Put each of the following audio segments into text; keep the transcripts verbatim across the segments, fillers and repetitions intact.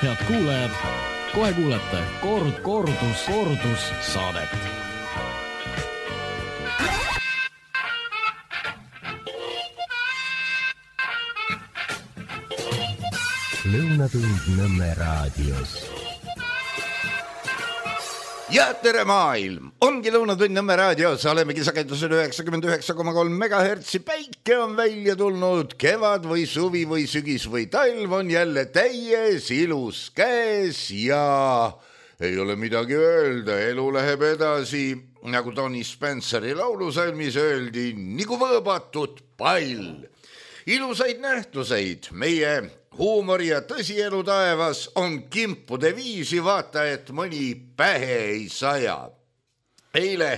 Head kuulajad, kohe kuulete kord, kordus, kordus saadet. Lõunatund Nõmme raadios. Ja tere maailm! Ongi Lõunatund Nõmme raadios, olemegi sagedusel üheksakümmend üheksa koma kolm megahertsi. Päike on välja tulnud, kevad või suvi või sügis või talv on jälle täies ilus käes ja ei ole midagi öelda, elu läheb edasi, nagu Tony Spenceri laulusalmis öeldi, nagu võõbatud pall. Ilusaid nähtuseid meie huumori ja tõsielu taevas on kimpude viisi, vaata, et mõni pähe ei saja. Eile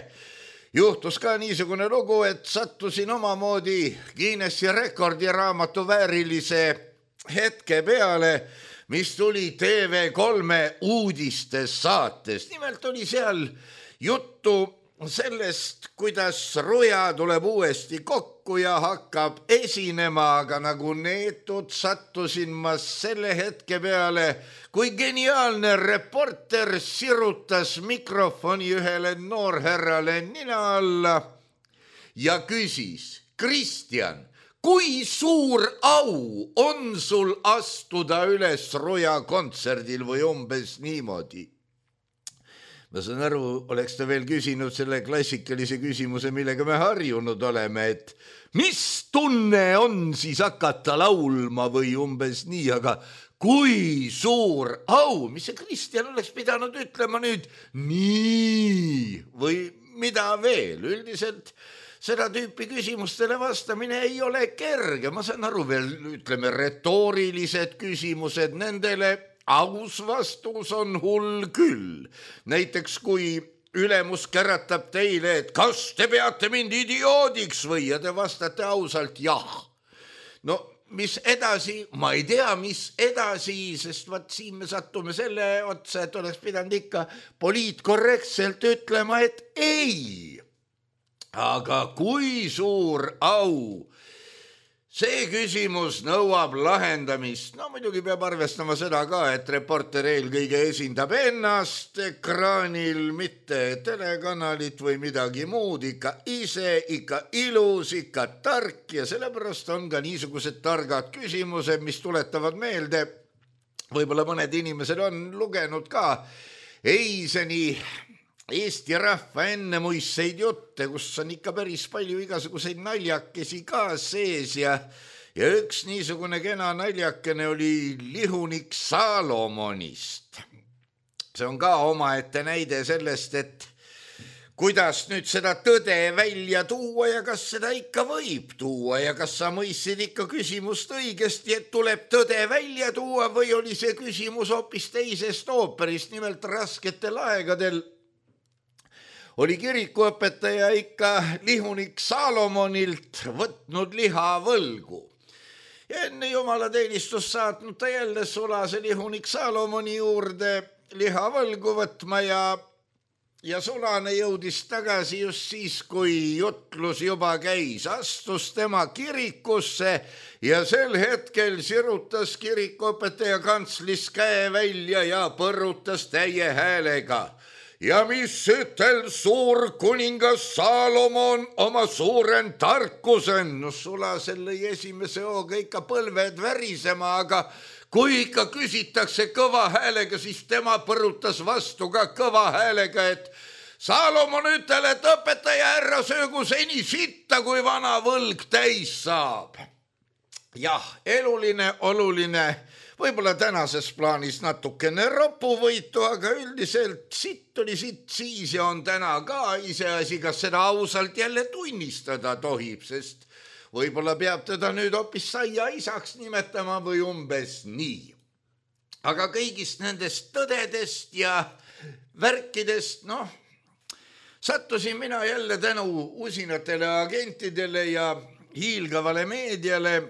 juhtus ka niisugune lugu, et sattusin omamoodi Guinessi rekordiraamatu väärilise hetke peale, mis tuli T V kolme uudistes saates. Nimelt oli seal juttu sellest, kuidas Ruja tuleb uuesti kokku ja hakkab esinema, aga nagu neetud sattusin ma selle hetke peale, kui geniaalne reporter sirutas mikrofoni ühele noorherrale nina alla ja küsis: Kristjan, kui suur au on sul astuda üles Ruja kontserdil või umbes niimoodi? Ma saan aru, oleks ta veel küsinud selle klassikalise küsimuse, millega me harjunud oleme, et mis tunne on siis hakata laulma või umbes nii, aga kui suur au, mis see Kristjan oleks pidanud ütlema nüüd nii või mida veel? Üldiselt seda tüüpi küsimustele vastamine ei ole kerge, ma saan aru veel, ütleme, retoorilised küsimused nendele, aus vastus on hull küll. Näiteks kui ülemus käratab teile, et kas te peate mind idioodiks või, ja te vastate ausalt jah. No mis edasi, ma ei tea, mis edasi, sest vaat siin me sattume selle otsa, et oleks pidanud ikka poliitkorrektselt ütlema, et ei. Aga kui suur au? See küsimus nõuab lahendamist. No muidugi peab arvestama seda ka, et reporter eelkõige esindab ennast ekraanil, mitte telekanalit või midagi muud, ikka ise, ikka ilus, ikka tark ja sellepärast on ka niisugused targad küsimused, mis tuletavad meelde, võib-olla mõned inimesed on lugenud ka Eiseni Eesti rahva ennemuisseid jutte, kus on ikka päris palju igasuguseid naljakesi ka sees ja, ja üks niisugune kena naljakene oli lihunik Saalomonist. See on ka omaette näide sellest, et kuidas nüüd seda tõde välja tuua ja kas seda ikka võib tuua ja kas sa mõistsid ikka küsimust õigesti, et tuleb tõde välja tuua või oli see küsimus hoopis teisest ooperist, nimelt rasketel aegadel oli kirikuõpetaja ikka lihunik Saalomonilt võtnud liha võlgu. Ja enne jumalateenistust saatnud ta jälle sulase lihunik Saalomoni juurde liha võlgu võtma ja, ja sulane jõudis tagasi just siis, kui jutlus juba käis. Astus tema kirikusse ja sel hetkel sirutas kirikuõpetaja kantslis käe välja ja põrutas täie häälega. Ja mis ütel suur kuningas Saalomon oma suuren tarkusen? No sulasel lõi esimese hooga ikka põlved värisema, aga kui ikka küsitakse kõva häälega, siis tema põrutas vastu ka kõva häälega, et Saalomon ütel, et õpetaja härra söögu seni sitta, kui vana võlg täis saab. Jah, eluline, oluline, võib-olla tänases plaanis natukene ropuvõitu, aga üldiselt sitt oli sitt siis ja on täna ka iseasi, kas seda ausalt jälle tunnistada tohib, sest võib-olla peab teda nüüd hoopis saia isaks nimetama või umbes nii. Aga kõigist nendest tõdedest ja värkidest, noh, sattusin mina jälle tänu usinatele agentidele ja hiilgavale meediale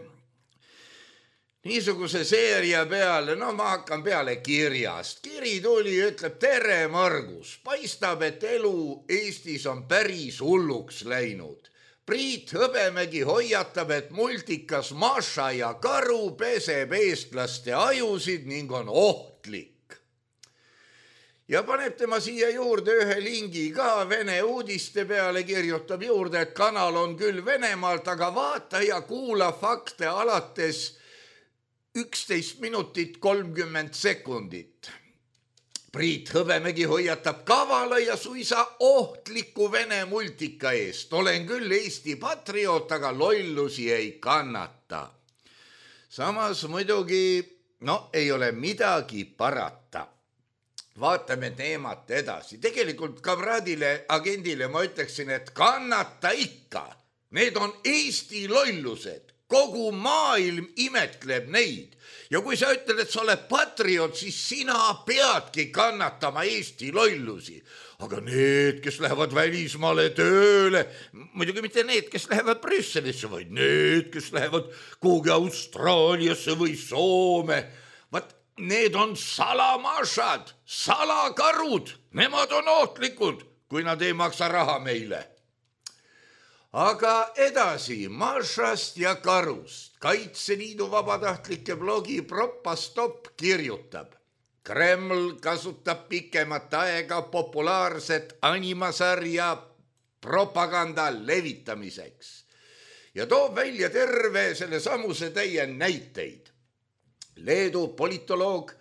niisuguse seeria peale, no ma hakkan peale kirjast. Kiri tuli ja ütleb: tere, Margus, paistab, et elu Eestis on päris hulluks läinud. Priit Hõbemägi hoiatab, et multikas Maša ja karu peseb eestlaste ajusid ning on ohtlik. Ja paneb tema siia juurde ühe lingi ka Vene uudiste peale, kirjutab juurde, et kanal on küll Venemaalt, aga vaata ja kuula fakte alates üksteist minutit kolmkümmend sekundit. Priit Hõbemägi hoiatab kavala ja suisa ohtliku Vene multika eest. Olen küll Eesti patrioot, aga lollusi ei kannata. Samas muidugi, no ei ole midagi parata. Vaatame teemat edasi. Tegelikult kamraadile, agendile ma ütleksin, et kannata ikka. Need on Eesti lollused. Kogu maailm imetleb neid. Ja kui sa ütled, et sa oled patrioot, siis sina peadki kannatama Eesti lollusi. Aga need, kes lähevad välismaale tööle, muidugi mitte need, kes lähevad Brüsselisse, vaid need, kes lähevad kuhugi Austraaliasse või Soome, vaat need on salamašad, salakarud, nemad on ohtlikud, kui nad ei maksa raha meile. Aga edasi Mašast ja karust. Kaitseliidu vabatahtlike blogi Propastop kirjutab. Kreml kasutab pikemat aega populaarset animasarja propaganda levitamiseks ja toob välja terve selle samuse täie näiteid. Leedu politoloog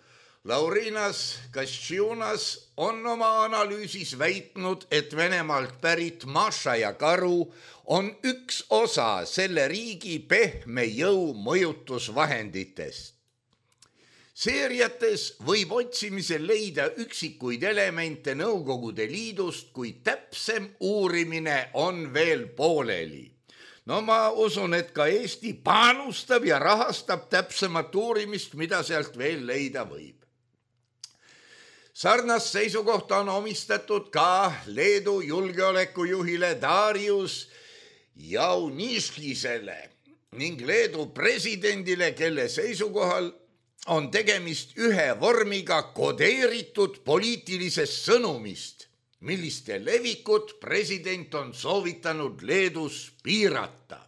Laurinas Kasčiūnas on oma analüüsis väitnud, et Venemaalt pärit Maša ja karu on üks osa selle riigi pehme jõu mõjutusvahenditest. Seeriates võib otsimisel leida üksikuid elemente Nõukogude Liidust, kui täpsem uurimine on veel pooleli. No ma usun, et ka Eesti panustab ja rahastab täpsemat uurimist, mida sealt veel leida võib. Sarnast seisukohta on omistatud ka Leedu julgeolekujuhile Darius Jauniškisele ning Leedu presidendile, kelle seisukohal on tegemist ühe vormiga kodeeritud poliitilisest sõnumist, milliste levikut president on soovitanud Leedus piirata.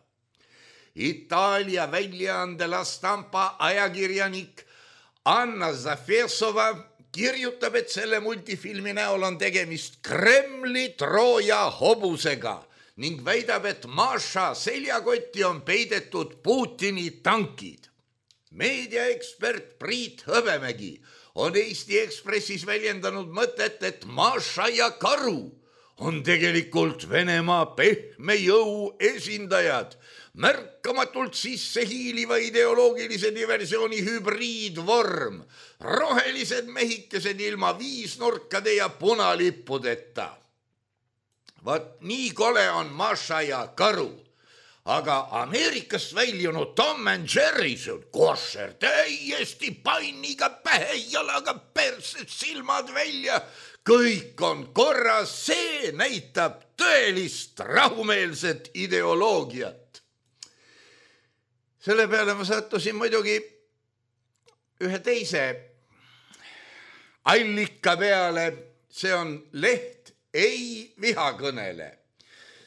Itaalia väljaande La Stampa ajakirjanik Anna Zafesova kirjutab, et selle multifilmi näol on tegemist Kremli Trooja hobusega ning väidab, et Maša seljakotti on peidetud Putini tankid. Meediaekspert Priit Hõbemägi on Eesti Ekspressis väljendanud mõtet, et Maša ja karu on tegelikult Venemaa pehme jõu esindajad, märkamatult sisse hiiliva ideoloogilise diversiooni hübriidvorm, rohelised mehikesed ilma viisnurkade ja punalippudeta. Vaat nii kole on Maša ja karu, aga Ameerikast väljunud Tom and Jerry, see on košer, täiesti panniga pähe, jalaga perses, silmad välja, kõik on korras, see näitab tõelist rahumeelset ideoloogiat. Selle peale ma sattusin muidugi ühe teise allika peale, see on leht Ei vihakõnele.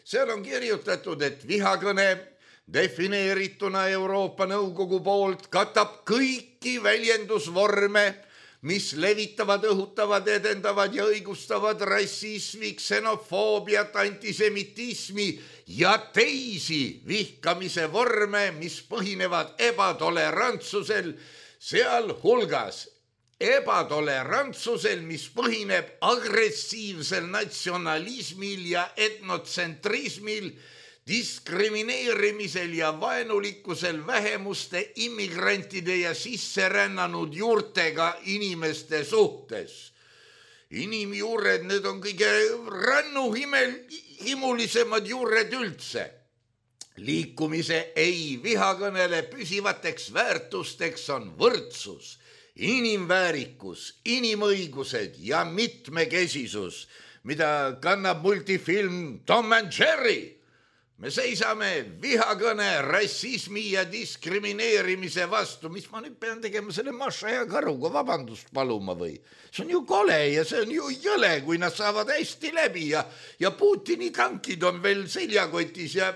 Seal on kirjutatud, et vihakõne defineerituna Euroopa Nõukogu poolt katab kõiki väljendusvorme, mis levitavad, õhutavad, edendavad ja õigustavad rassismi, ksenofoobiat, antisemitismi ja teisi vihkamise vorme, mis põhinevad ebatolerantsusel, sealhulgas ebatolérantsusel, mis põhineb agressiivsel natsionalismil ja etnotsentrismil, diskrimineerimisel ja vaenulikkusel vähemuste, immigrantide ja sisserännanud juurtega inimeste suhtes. Inimjuured, need on kõige rannuhimulisemad juured üldse. Liikumise ei vihakõnele püsivateks väärtusteks on võrdsus, inimväärikus, inimõigused ja mitmekesisus, mida kannab multifilm Tom and Jerry. Me seisame vihakõne, rassismi ja diskrimineerimise vastu. Mis ma nüüd pean tegema selle Maša ja karuga vabandust paluma või? See on ju kole ja see on ju jõle, kui nad saavad hästi läbi ja, ja Putini tankid on veel seljakotis ja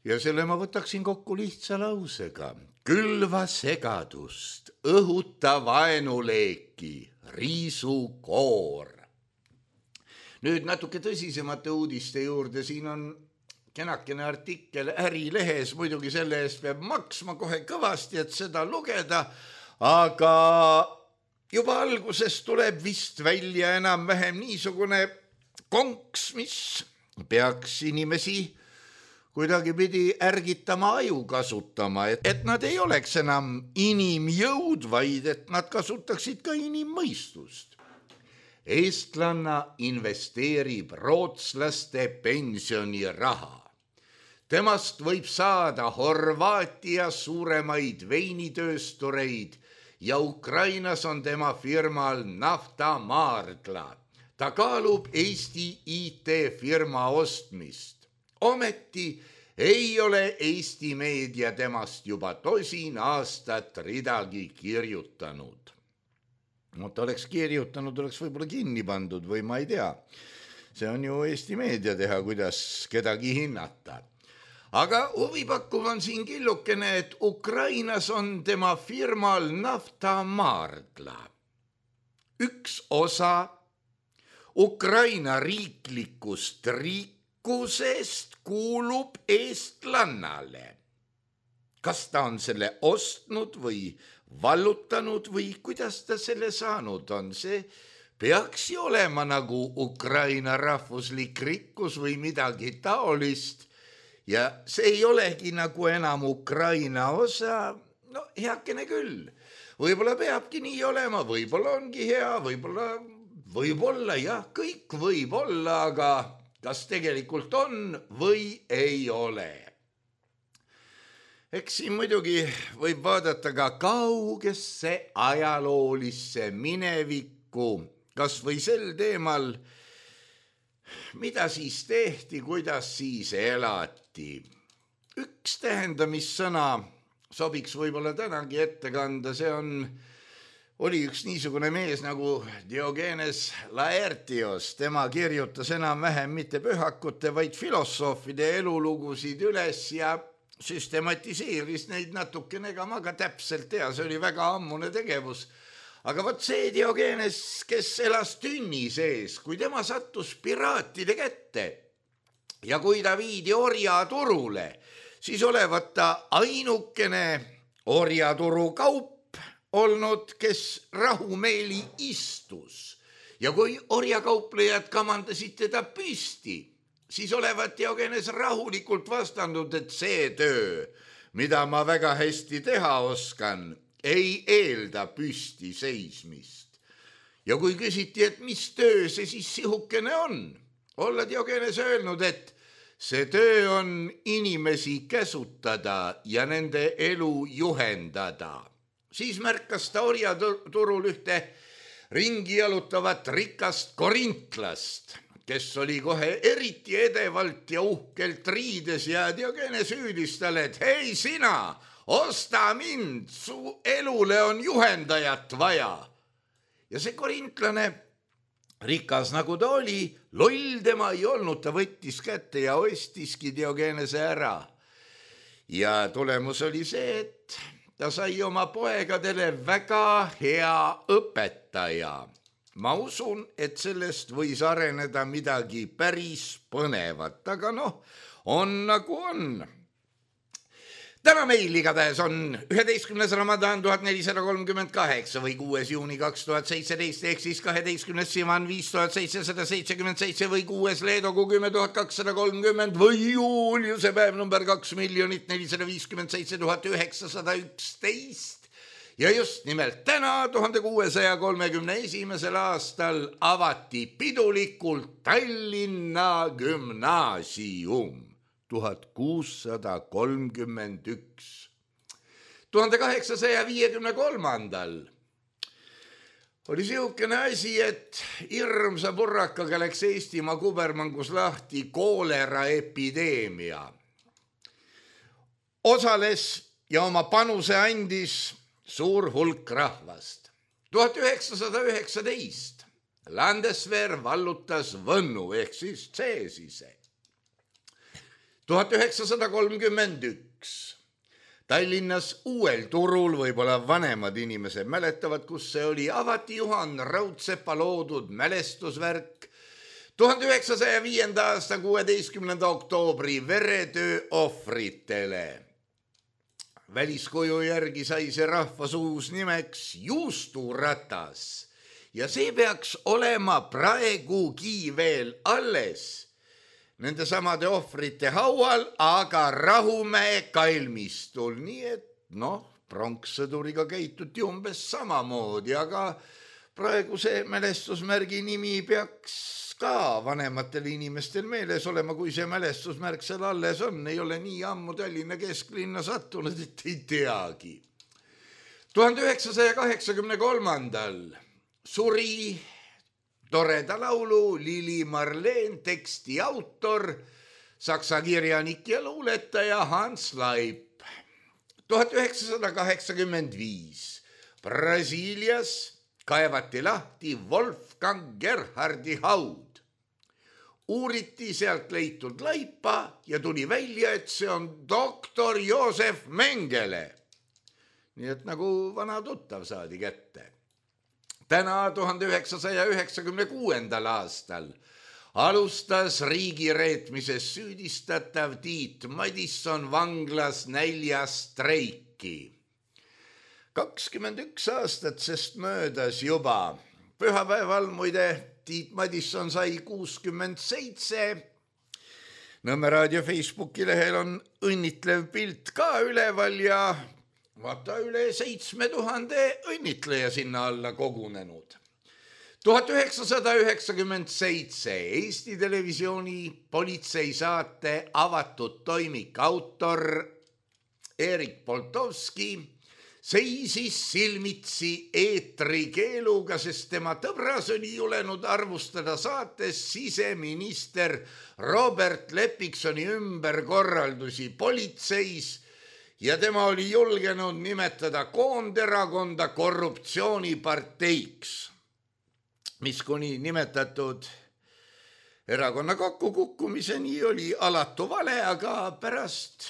ja selle ma võtaksin kokku lihtsa lausega. Külva segadust, õhuta vaenuleeki, riisu koor. Nüüd natuke tõsisemate uudiste juurde, siin on kenakene artikkel Ärilehes, muidugi selle eest peab maksma kohe kõvasti, et seda lugeda, aga juba alguses tuleb vist välja enam-vähem niisugune konks, mis peaks inimesi kuidagi pidi ärgitama aju kasutama, et, et nad ei oleks enam inimjõud, vaid et nad kasutaksid ka inimmõistust. Eestlanna investeerib rootslaste pensioniraha. Temast võib saada Horvaatia suuremaid veinitööstureid ja Ukrainas on tema firmal naftamaardla. Ta kaalub Eesti I T-firma ostmist. Ometi ei ole Eesti meedia temast juba tosin aastat ridagi kirjutanud. No ta oleks kirjutanud, oleks võib-olla kinni pandud või ma ei tea. See on ju Eesti meedia teha, kuidas kedagi hinnata. Aga huvipakkuv on siin killukene, et Ukrainas on tema firmal naftamaardla. Üks osa Ukraina riiklikust rikkusest kuulub eestlannale. Kas ta on selle ostnud või vallutanud või kuidas ta selle saanud on, see peaks ju olema nagu Ukraina rahvuslik rikkus või midagi taolist ja see ei olegi nagu enam Ukraina osa, no heakene küll. Võib-olla peabki nii olema, võib-olla ongi hea, võib-olla, võib-olla jah, kõik võib olla, aga kas tegelikult on või ei ole. Eks siin muidugi võib vaadata ka kaugesse ajaloolisse minevikku, kas või sel teemal, mida siis tehti, kuidas siis elati. Üks tähendamissõna sobiks võib-olla tänagi ette kanda, see on, oli üks niisugune mees nagu Diogenes Laertios, tema kirjutas enam-vähem mitte pühakute, vaid filosoofide elulugusid üles ja süstematiseeris neid natukene, ega ma ka täpselt tea, see oli väga ammune tegevus. Aga võt see Diogenes, kes elas tünni sees, kui tema sattus piraatide kätte ja kui ta viidi orjaturule, siis olevat ta ainukene orjaturu kaup olnud, kes rahumeeli istus. Ja kui orjakauplejad kamandasid teda püsti, siis olevat Diogenes rahulikult vastanud, et see töö, mida ma väga hästi teha oskan, ei eelda püsti seismist. Ja kui küsiti, et mis töö see siis sihukene on, olla Diogenes öelnud, et see töö on inimesi käsutada ja nende elu juhendada. Siis märkas ta orjaturul ühte ringi jalutavat rikast korintlast, kes oli kohe eriti edevalt ja uhkelt riides ja Diogenes hüüdis talle, et hei sina, osta mind, su elule on juhendajat vaja. Ja see korintlane, rikas nagu ta oli, loll tema ei olnud, ta võttis kätte ja ostiski Diogenese ära. Ja tulemus oli see, et ta sai oma poegadele väga hea õpetaja. Ma usun, et sellest võis areneda midagi päris põnevat, aga noh, on nagu on. Täna meil igatahes on üheteistkümnes Ramadan tuhat nelisada kolmkümmend kaheksa või kuues juuni kaks tuhat seitseteist ehk siis kaheteistkümnes Sivan viis tuhat seitsesada seitsekümmend seitse või kuues Leedogu kümme tuhat kakssada kolmkümmend või Juuliuse päev number kaks miljonit nelisada viiskümmend seitse tuhat üheksasada üksteist. Ja just nimelt täna tuhande kuuesaja kolmekümne esimesel aastal avati pidulikult Tallinna gümnaasium tuhat kuussada kolmkümmend üks. tuhande kaheksasaja viiekümne kolmandal oli sihukene asi, et hirmsa purrakaga läks Eestimaa kubermangus lahti koolera epideemia. Osales ja oma panuse andis suur hulk rahvast. tuhat üheksasada üheksateist Landeswehr vallutas Võnnu ehk siis Cäsise. tuhat üheksasada kolmkümmend üks. Tallinnas uuel turul, võib-olla vanemad inimesed mäletavad, kus see oli, avati Juhan Raudsepa loodud mälestusvärk tuhande üheksasaja viienda aasta kuueteistkümnenda oktoobri veretöö ohvritele. Väliskuju järgi sai see rahvasuus nimeks juusturatas ja see peaks olema praegugi veel alles nende samade ohvrite haual, aga Rahumäe kalmistul. Nii et noh, pronkssõduriga käituti umbes samamoodi, aga praegu see mälestusmärgi nimi peaks ka vanematel inimestel meeles olema, kui see mälestusmärk seal alles on. Ei ole nii ammu Tallinna kesklinna sattunud, et ei teagi. tuhande üheksasaja kaheksakümne kolmandal suri toreda laulu Lili Marleen teksti autor, saksa kirjanik ja luuletaja Hans Laip. tuhat üheksasada kaheksakümmend viis Brasiilias kaevati lahti Wolfgang Gerhardi haud. Uuriti sealt leitud laipa ja tuli välja, et see on doktor Joosef Mengele. Nii et nagu vana tuttav saadi kätte. Täna tuhande üheksasaja üheksakümne kuuendal aastal alustas riigireetmises süüdistatav Tiit Madisson vanglas näljastreiki. kakskümmend üks aastat sest möödas juba. Pühapäeval muide Tiit Madisson sai kuuskümmend seitse. Nõmme raadio Facebooki lehel on õnnitlev pilt ka üleval ja vaata üle seitsme tuhande õnnitleja sinna alla kogunenud. tuhat üheksasada üheksakümmend seitse Eesti Televisiooni politseisaate avatud toimik autor Erik Poltovski seisis silmitsi eetrikeeluga, sest tema tõbras oli julenud arvustada saates siseminister Robert Leppiksoni ümberkorraldusi politseis ja tema oli julgenud nimetada koonderakonda korruptsiooniparteiks, mis kuni nimetatud erakonna kokkukukkumiseni oli alatu vale, aga pärast,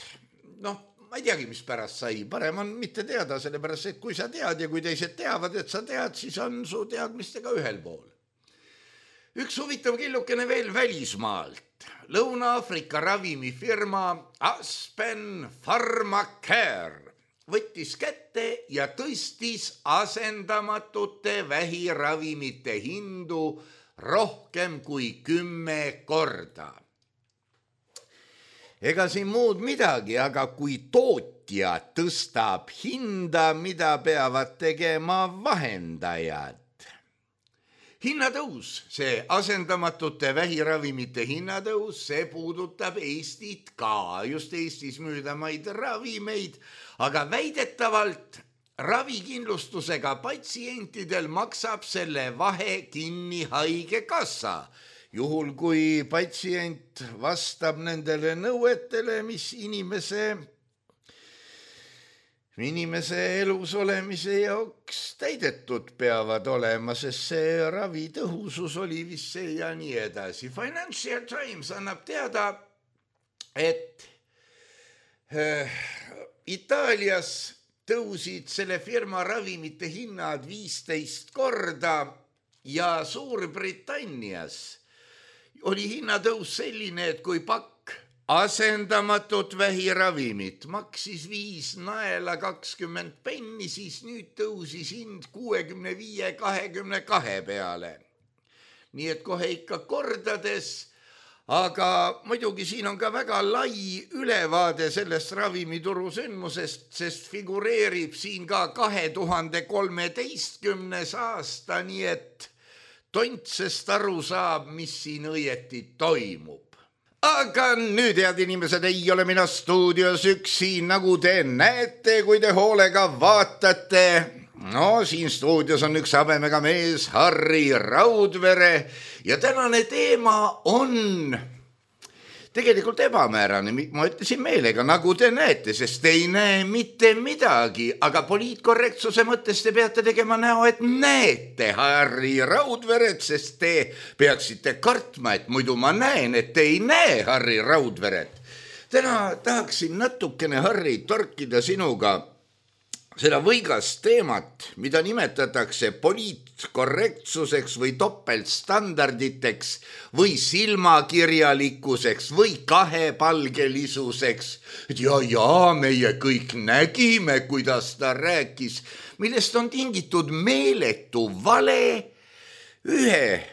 noh, ma ei teagi, mis pärast sai, parem on mitte teada, sellepärast, et kui sa tead ja kui teised teavad, et sa tead, siis on su teadmistega ühel pool. Üks huvitav killukene veel välismaalt. Lõuna-Aafrika ravimifirma Aspen Pharmacare võttis kätte ja tõstis asendamatute vähiravimite hindu rohkem kui kümme korda. Ega siin muud midagi, aga kui tootja tõstab hinda, mida peavad tegema vahendajad. Hinnatõus, see asendamatute vähiravimite hinnatõus, see puudutab Eestit ka, just Eestis müüdamaid ravimeid, aga väidetavalt ravikindlustusega patsientidel maksab selle vahe kinni haigekassa, juhul kui patsient vastab nendele nõuetele, mis inimese Inimese elus olemise jaoks täidetud peavad olema, sest see ravitõhusus oli vist see ja nii edasi. Financial Times annab teada, et äh, Itaalias tõusid selle firma ravimite hinnad viisteist korda ja Suurbritannias oli hinnatõus selline, et kui pakk asendamatut vähiravimit maksis viis naela kakskümmend penni, siis nüüd tõusis hind kuuekümne viie kahekümne kahe peale. Nii et kohe ikka kordades, aga muidugi siin on ka väga lai ülevaade sellest ravimituru sündmusest, sest figureerib siin ka kahe tuhande kolmeteistkümnes aasta, nii et tontsest aru saab, mis siin õieti toimub. Aga nüüd, head inimesed, ei ole mina stuudios üksi, nagu te näete, kui te hoolega vaatate. No, siin stuudios on üks habemega mees, Harri Raudvere, ja tänane teema on tegelikult ebamäärane. Ma ütlesin meelega, nagu te näete, sest te ei näe mitte midagi, aga poliitkorrektsuse mõttes te peate tegema näo, et näete Harri Raudveret, sest te peaksite kartma, et muidu ma näen, et te ei näe Harri Raudveret. täna tahaksin natukene, Harri, torkida sinuga seda võigast teemat, mida nimetatakse poliitkorrektsuseks või topeltstandarditeks või silmakirjalikkuseks või kahepalgelisuseks. Ja, ja meie kõik nägime, kuidas ta rääkis, millest on tingitud meeletu vale. Ühe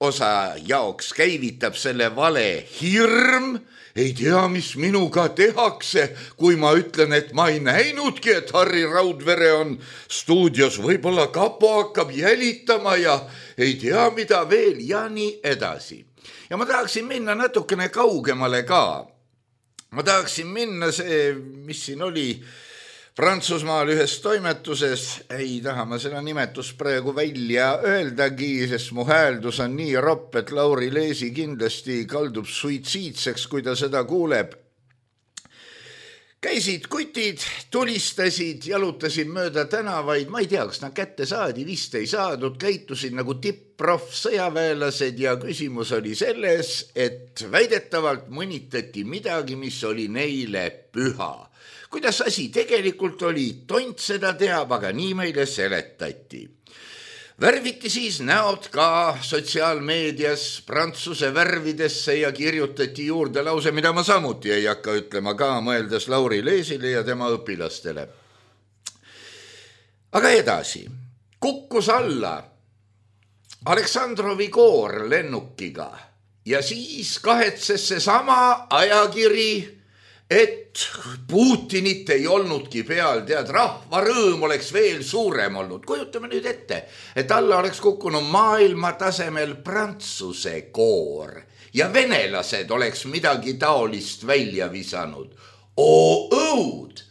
osa jaoks käivitab selle vale hirm. Ei tea, mis minuga tehakse, kui ma ütlen, et ma ei näinudki, et Harri Raudvere on stuudios, võib-olla kapo hakkab jälitama ja ei tea, mida veel ja nii edasi. Ja ma tahaksin minna natukene kaugemale ka. Ma tahaksin minna see, mis siin oli Prantsusmaal ühes toimetuses, ei taha ma seda nimetust praegu välja öeldagi, sest mu hääldus on nii ropp, et Lauri Leesi kindlasti kaldub suitsiidseks, kui ta seda kuuleb. Käisid kutid, tulistasid, jalutasid mööda tänavaid, ma ei tea, kas nad kätte saadi, vist ei saadud, käitusid nagu tipp-proff sõjaväelased ja küsimus oli selles, et väidetavalt mõnitati midagi, mis oli neile püha. Kuidas asi tegelikult oli, tont seda teab, aga nii meile seletati. Värviti siis näod ka sotsiaalmeedias prantsuse värvidesse ja kirjutati juurde lause, mida ma samuti ei hakka ütlema ka, mõeldes Lauri Leesile ja tema õpilastele. Aga edasi, kukkus alla Aleksandrovi koor lennukiga ja siis kahetses see sama ajakiri, et Putinit ei olnudki peal, tead, rahva rõõm oleks veel suurem olnud. Kujutame nüüd ette, et alla oleks kukkunud maailma tasemel prantsuse koor ja venelased oleks midagi taolist välja visanud. Oo õud!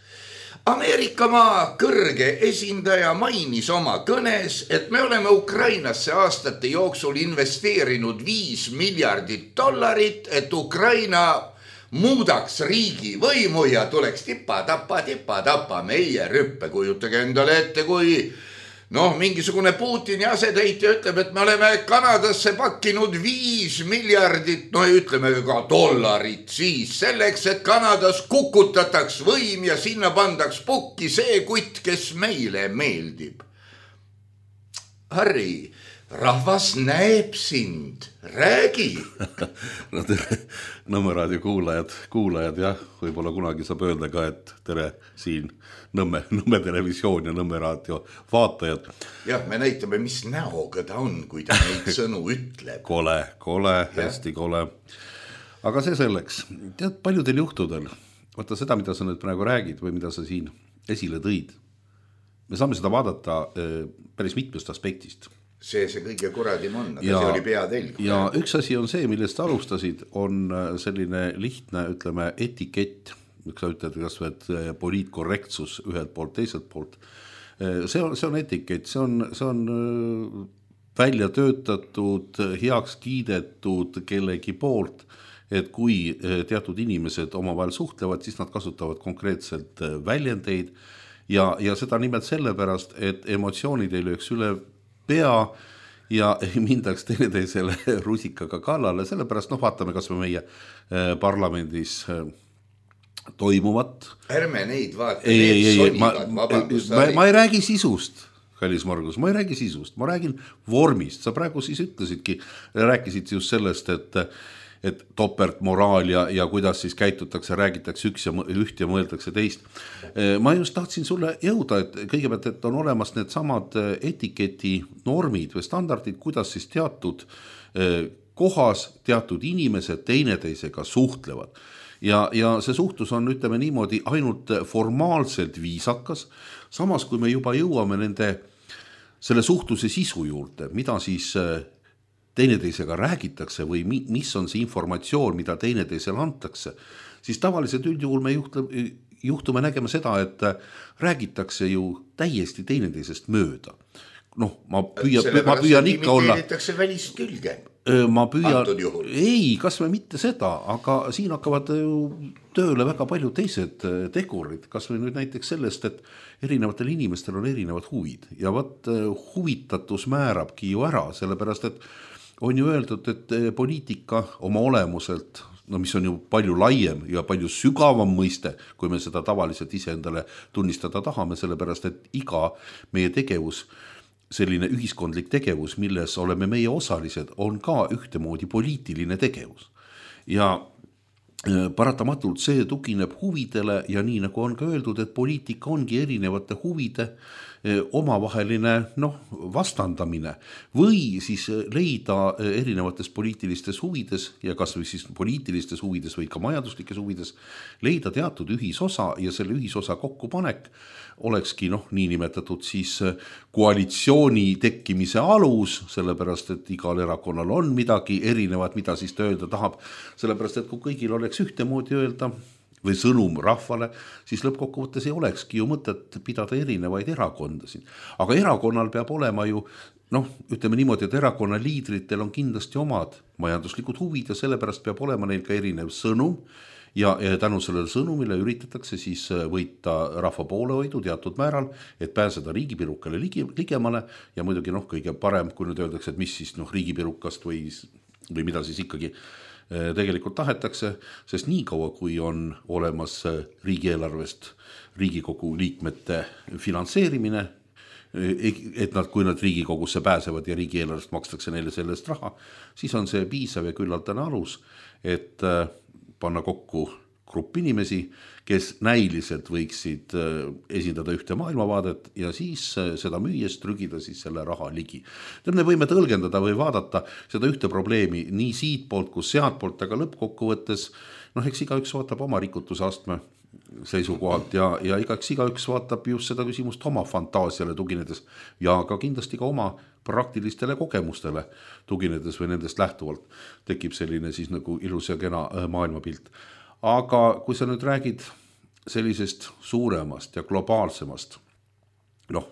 Ameerikamaa kõrge esindaja mainis oma kõnes, et me oleme Ukrainasse aastate jooksul investeerinud viis miljardit dollarit, et Ukraina muudaks riigi võimu ja tuleks tipa, tapa, tipa, tapa meie rüppe. Kujutage endale ette, kui noh, mingisugune Putini asetäitja ütleb, et me oleme Kanadasse pakkinud viis miljardit, no ütleme ka dollarit siis selleks, et Kanadas kukutataks võim ja sinna pandaks pukki see kutt, kes meile meeldib. Harri, rahvas näeb sind, räägi. No tere, Nõmme raadio kuulajad, kuulajad jah, võib-olla kunagi saab öelda ka, et tere siin Nõmme, Nõmme televisioon ja Nõmme raadio vaatajad. Jah, me näitame, mis näoga ta on, kui ta neid sõnu ütleb. Kole, kole, hästi kole. Aga see selleks, tead, paljudel juhtudel, vaata seda, mida sa nüüd praegu räägid või mida sa siin esile tõid, me saame seda vaadata päris mitmest aspektist. See see kõige kuradim on, aga ja, see oli peatelg. Ja üks asi on see, millest alustasid, on selline lihtne, ütleme, etikett, miks sa ütled, kas võed poliitkorrektsus ühelt poolt, teiselt poolt. See on, see on etikett, see on, see on välja töötatud, heaks kiidetud kellegi poolt, et kui teatud inimesed omavahel suhtlevad, siis nad kasutavad konkreetselt väljendeid ja, ja seda nimelt sellepärast, et emotsioonid ei lööks üle pea ja ei mindaks teineteisele rusikaga kallale, sellepärast noh, vaatame kas me meie parlamendis toimuvat. Ärme neid vaata, need sonivad, vabandust. Ma, ma ei räägi sisust, kallis Margus, ma ei räägi sisust, ma räägin vormist. Sa praegu siis ütlesidki, rääkisid just sellest, et et topeltmoraal ja, ja kuidas siis käitutakse, räägitakse üks ja üht ja mõeldakse teist. Ma just tahtsin sulle jõuda, et kõigepealt, et on olemas need samad etiketi normid või standardid, kuidas siis teatud kohas teatud inimesed teineteisega suhtlevad. Ja, ja see suhtlus on, ütleme niimoodi, ainult formaalselt viisakas, samas kui me juba jõuame nende selle suhtluse sisu juurde, mida siis teineteisega räägitakse või mis on see informatsioon, mida teineteisele antakse, siis tavaliselt üldjuhul me juhtume nägema seda, et räägitakse ju täiesti teineteisest mööda. Noh, ma püüan, ma püüan ikka olla... Imiteeritakse välist külge. Ma püüan... Ei, kas me mitte seda, aga siin hakkavad tööle väga palju teised tegurid. Kas või nüüd näiteks sellest, et erinevatel inimestel on erinevad huvid ja võt huvitatus määrabki ju ära, sellepärast, et on ju öeldud, et poliitika oma olemuselt, no mis on ju palju laiem ja palju sügavam mõiste, kui me seda tavaliselt iseendale tunnistada tahame, sellepärast et iga meie tegevus, selline ühiskondlik tegevus, milles oleme meie osalised, on ka ühtemoodi poliitiline tegevus. Ja paratamatult see tugineb huvidele ja nii nagu on ka öeldud, et poliitika ongi erinevate huvide omavaheline noh, vastandamine või siis leida erinevates poliitilistes huvides ja kas või siis poliitilistes huvides või ka majanduslikes huvides leida teatud ühisosa ja selle ühisosa kokkupanek olekski noh, niinimetatud siis koalitsiooni tekkimise alus, sellepärast et igal erakonnal on midagi erinevat, mida siis ta öelda tahab, sellepärast et kui kõigil oleks ühtemoodi öelda või sõnum rahvale, siis lõppkokkuvõttes ei olekski ju mõtet pidada erinevaid erakondasid. Aga erakonnal peab olema ju, noh, ütleme niimoodi, et erakonna liidritel on kindlasti omad majanduslikud huvid ja sellepärast peab olema neil ka erinev sõnum ja, ja tänu sellele sõnumile üritatakse siis võita rahva poolehoidu teatud määral, et pääseda riigipirukale ligi, ligemale ja muidugi noh, kõige parem, kui nüüd öeldakse, et mis siis noh, riigipirukast või, või mida siis ikkagi tegelikult tahetakse, sest nii kaua, kui on olemas riigieelarvest Riigikogu liikmete finantseerimine, et nad, kui nad Riigikogusse pääsevad ja riigieelarvest makstakse neile sellest raha, siis on see piisav ja küllaldane alus, et panna kokku grupp inimesi, kes näiliselt võiksid esindada ühte maailmavaadet ja siis seda müües trügida siis selle raha ligi. Me võime tõlgendada või vaadata seda ühte probleemi nii siit poolt kui sealt poolt, aga lõppkokkuvõttes, noh, eks igaüks vaatab oma rikutusastme seisukohalt ja, ja igaks igaüks vaatab just seda küsimust oma fantaasiale tuginedes ja ka kindlasti ka oma praktilistele kogemustele tuginedes või nendest lähtuvalt tekib selline siis nagu ilus ja kena maailmapilt. Aga kui sa nüüd räägid sellisest suuremast ja globaalsemast, noh,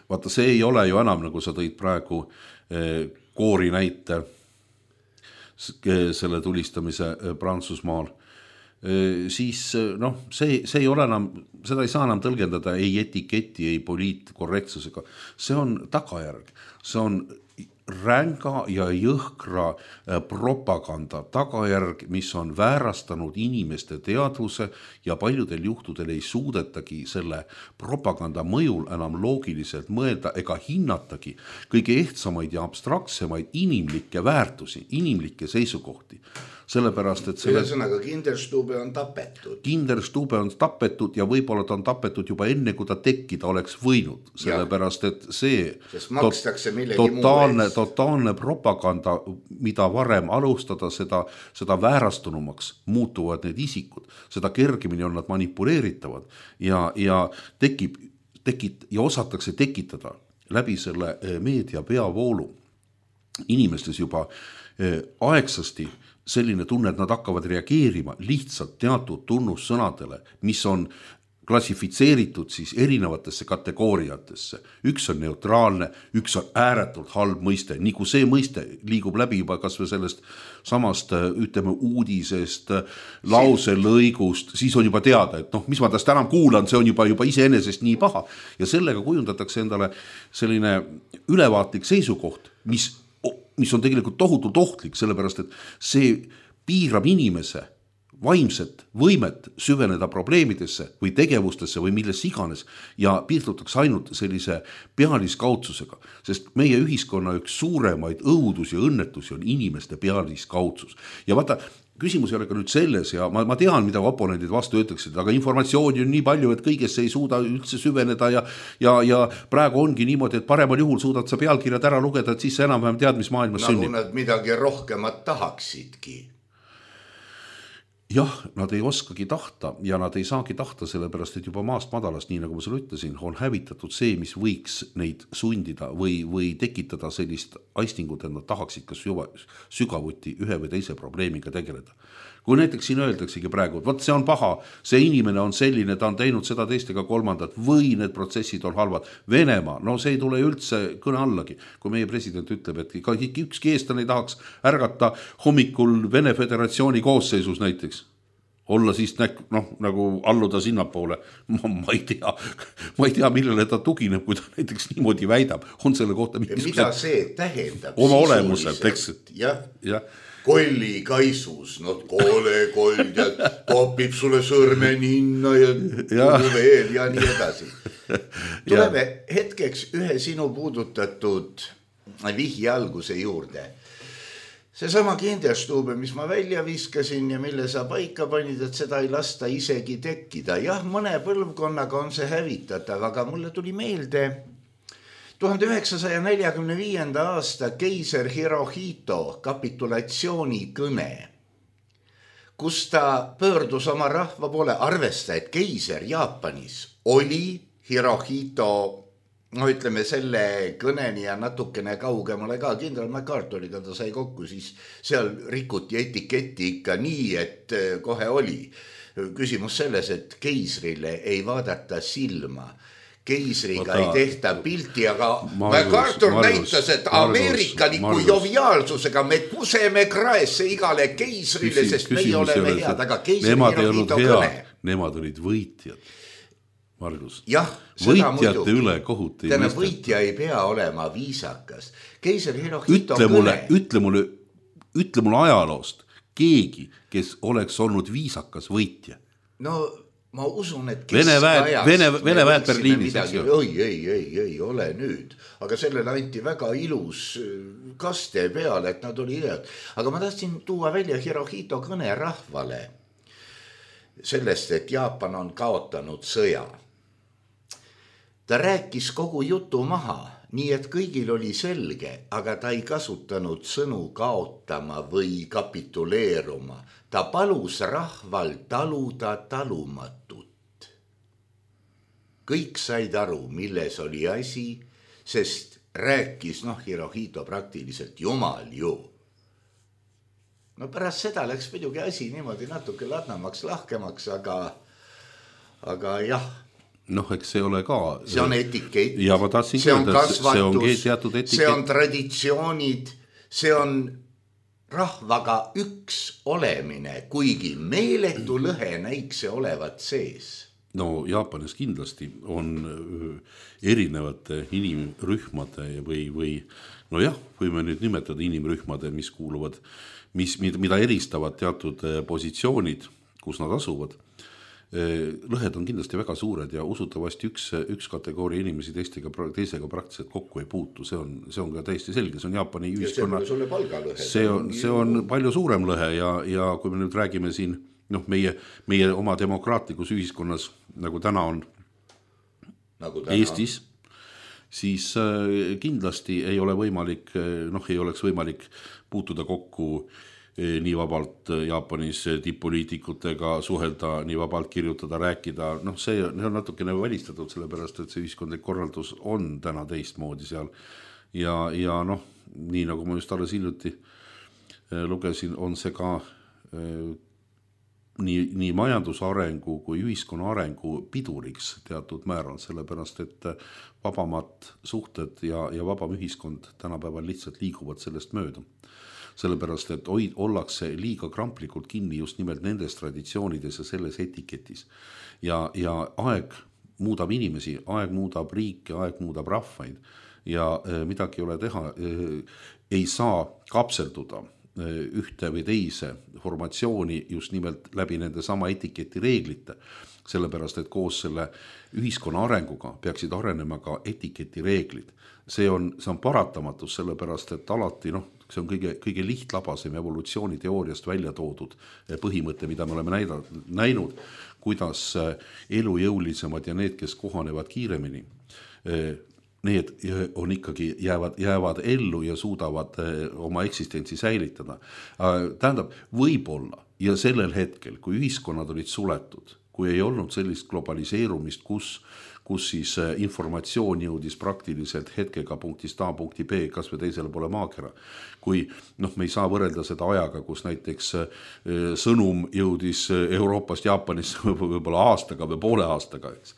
vaata, see ei ole ju enam, nagu sa tõid praegu koori näite selle tulistamise Prantsusmaal, siis noh, see, see ei ole enam, seda ei saa enam tõlgendada ei etiketi, ei poliitkorrektsusega. See on tagajärg, see on ränga ja jõhkra propaganda tagajärg, mis on väärastanud inimeste teadvuse ja paljudel juhtudel ei suudetagi selle propaganda mõjul enam loogiliselt mõelda ega hinnatagi kõige ehtsamaid ja abstraktsemaid inimlikke väärtusi, inimlikke seisukohti. Sellepärast, et selle... Ühesõnaga, Kinderstube on tapetud. Kinderstube on tapetud ja võib-olla ta on tapetud juba enne, kui ta tekkida oleks võinud. Sellepärast, et see totaalne, totaalne propaganda, mida varem alustada, seda, seda väärastunumaks muutuvad need isikud. Seda kergemini on nad manipuleeritavad ja, ja tekib, tekit, ja osatakse tekitada läbi selle meedia peavoolu inimestes juba aegsasti selline tunne, et nad hakkavad reageerima lihtsalt teatud tunnussõnadele, mis on klassifitseeritud siis erinevatesse kategooriatesse. Üks on neutraalne, üks on ääretult halb mõiste. Nii kui see mõiste liigub läbi juba kas või sellest samast, ütleme, uudisest, lause lõigust, siis on juba teada, et noh, mis ma tast enam kuulan, see on juba, juba iseenesest nii paha. Ja sellega kujundatakse endale selline ülevaatlik seisukoht, mis mis on tegelikult tohutult ohtlik, sellepärast, et see piirab inimese vaimset võimet süveneda probleemidesse või tegevustesse või milles iganes ja piirdutakse ainult sellise pealiskaudsusega, sest meie ühiskonna üks suuremaid õudus ja õnnetusi on inimeste pealiskaudsus. Ja vaata, küsimus ei ole ka nüüd selles ja ma, ma tean, mida oponendid vastu ütleksid, aga informatsiooni on nii palju, et kõigesse ei suuda üldse süveneda ja, ja, ja praegu ongi niimoodi, et paremal juhul suudad sa pealkirjad ära lugeda, et siis sa enam-vähem tead, mis maailmas nagu sünnib. Nagu nad midagi rohkemat tahaksidki. Jah, nad ei oskagi tahta ja nad ei saagi tahta sellepärast, et juba maast madalast, nii nagu ma sulle ütlesin, on hävitatud see, mis võiks neid sundida või, või tekitada sellist aistingut, et nad tahaksid kas sügavuti ühe või teise probleemiga tegeleda. Kui näiteks siin öeldaksegi praegu, et võt see on paha, see inimene on selline, ta on teinud seda teistega kolmandat või need protsessid on halvad. Venemaa, no see ei tule üldse kõne allagi. Kui meie president ütleb, et ükski eestlane ei tahaks ärgata hommikul Vene Föderatsiooni koosseisus näiteks, olla siis noh, nagu alluda sinnapoole, ma, ma ei tea, ma ei tea, millele ta tugineb, kui ta näiteks niimoodi väidab, on selle kohta mida see tähendab oma olemuselt, eks, ja. Ja, kolli kaisus, no koole kold ja topib sulle sõrme ninna ja, ja. veel ja nii edasi. Tuleme hetkeks ühe sinu puudutatud vihje alguse juurde. Seesama Kinderstube, mis ma välja viskasin ja mille sa paika panid, et seda ei lasta isegi tekkida. Jah, mõne põlvkonnaga on see hävitatav, aga mulle tuli meelde tuhande üheksasaja neljakümne viienda aasta keiser Hirohito kapitulatsiooni kõne, kus ta pöördus oma rahva poole. Arvesta, et keiser Jaapanis oli Hirohito, no ütleme selle kõneni ja natukene kaugemale ka, kindral MacArthuriga ta sai kokku, siis seal rikuti etiketti ikka nii, et kohe oli. Küsimus selles, et keisrile ei vaadata silma, keisriga Ota, ei tehta pilti, aga MacArthur näitas, et ameerikaliku joviaalsusega me kuseme kraesse igale keisrile, küsi, sest meie oleme head, aga keisri Hirohito kõne. Nemad olid võitjad. Margus, jah, võitjate üle kohut ei mõisteta. Võitja ei pea olema viisakas. Keiser Hirohito ütle mulle, kõne. Ütle mulle, ütle mulle ajaloost keegi, kes oleks olnud viisakas võitja. No ma usun, et Vene väed, Vene, Vene väed Berliinis. Oi, ei, ei, ei ole nüüd. Aga sellele anti väga ilus kaste peale, et nad oli head. Aga ma tahtsin tuua välja Hirohito kõne rahvale sellest, et Jaapan on kaotanud sõja. Ta rääkis kogu jutu maha, nii et kõigil oli selge, aga ta ei kasutanud sõnu kaotama või kapituleeruma. Ta palus rahval taluda talumatut. Kõik said aru, milles oli asi, sest rääkis, noh, Hirohito praktiliselt jumal ju. No pärast seda läks muidugi asi niimoodi natuke ladnamaks, lahkemaks, aga, aga jah. Noh, eks see ole ka. See on etikett, ja ma tahtsin see on öelda, kasvatus, see, see on traditsioonid, see on rahvaga üks olemine, kuigi meeletu lõhe näiks see olevat sees. No Jaapanis kindlasti on erinevate inimrühmade või, või no jah, võime nüüd nimetada inimrühmade, mis kuuluvad, mis, mida eristavad teatud positsioonid, kus nad asuvad. Lõhed on kindlasti väga suured ja usutavasti üks, üks kategooria inimesi teistega, teisega praktiliselt kokku ei puutu. See on, see on ka täiesti selge. See on Jaapani ühiskonna. See on, see on palju suurem lõhe ja, ja kui me nüüd räägime siin, noh, meie, meie oma demokraatlikus ühiskonnas, nagu täna on nagu täna. Eestis, siis kindlasti ei ole võimalik, noh, ei oleks võimalik puutuda kokku nii vabalt Jaapanis tipp-poliitikutega, suhelda, nii vabalt kirjutada, rääkida. Noh, see on natukene välistatud, sellepärast, et see ühiskondlik korraldus on täna teistmoodi seal. Ja, ja noh, nii nagu ma just alles hiljuti lugesin, on see ka nii, nii majandusarengu kui ühiskonna arengu piduriks teatud määral, sellepärast, et vabamad suhted ja, ja vabam ühiskond tänapäeval lihtsalt liiguvad sellest mööda. Sellepärast, et hoid, ollakse liiga kramplikult kinni just nimelt nendes traditsioonides ja selles etiketis. Ja, ja aeg muudab inimesi, aeg muudab riike, aeg muudab rahvaid ja e, midagi ei ole teha. E, ei saa kapselduda e, ühte või teise formatsiooni just nimelt läbi nende sama etiketi reeglite. Sellepärast, et koos selle ühiskonna arenguga peaksid arenema ka etiketi reeglid. See on, see on paratamatus, sellepärast, et alati, noh, see on kõige, kõige lihtlabasem evolutsiooniteooriast välja toodud põhimõte, mida me oleme näida, näinud, kuidas elujõulisemad ja need, kes kohanevad kiiremini, need on ikkagi jäävad, jäävad ellu ja suudavad oma eksistentsi säilitada. Tähendab, võib-olla ja sellel hetkel, kui ühiskonnad olid suletud, kui ei olnud sellist globaliseerumist, kus kus siis informatsioon jõudis praktiliselt hetkega punktist A punkti B, kas või teisele pole maakera. Kui noh, me ei saa võrrelda seda ajaga, kus näiteks sõnum jõudis Euroopast Jaapanisse võib-olla aastaga või poole aastaga, eks.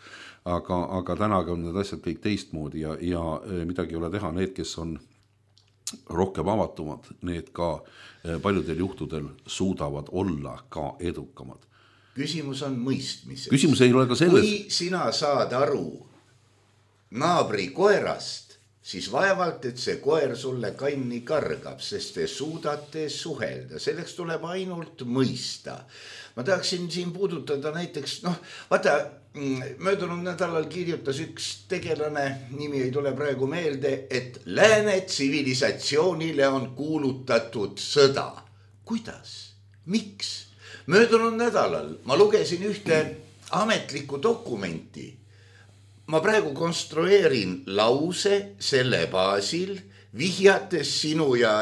Aga, aga tänaga on need asjad kõik teistmoodi ja, ja midagi ei ole teha. Need, kes on rohkem avatumad, need ka paljudel juhtudel suudavad olla ka edukamad. Küsimus on mõistmises. Küsimus ei ole ka selles. Kui sina saad aru naabri koerast siis vaevalt, et see koer sulle kanni kargab, sest te suudate suhelda. Selleks tuleb ainult mõista. Ma tahaksin siin puudutada näiteks, noh, vaata, möödunud nädalal kirjutas üks tegelane, nimi ei tule praegu meelde, et lääne tsivilisatsioonile on kuulutatud sõda. Kuidas? Miks? Möödunud nädalal ma lugesin ühte ametlikku dokumenti. Ma praegu konstrueerin lause selle baasil, vihjates sinu ja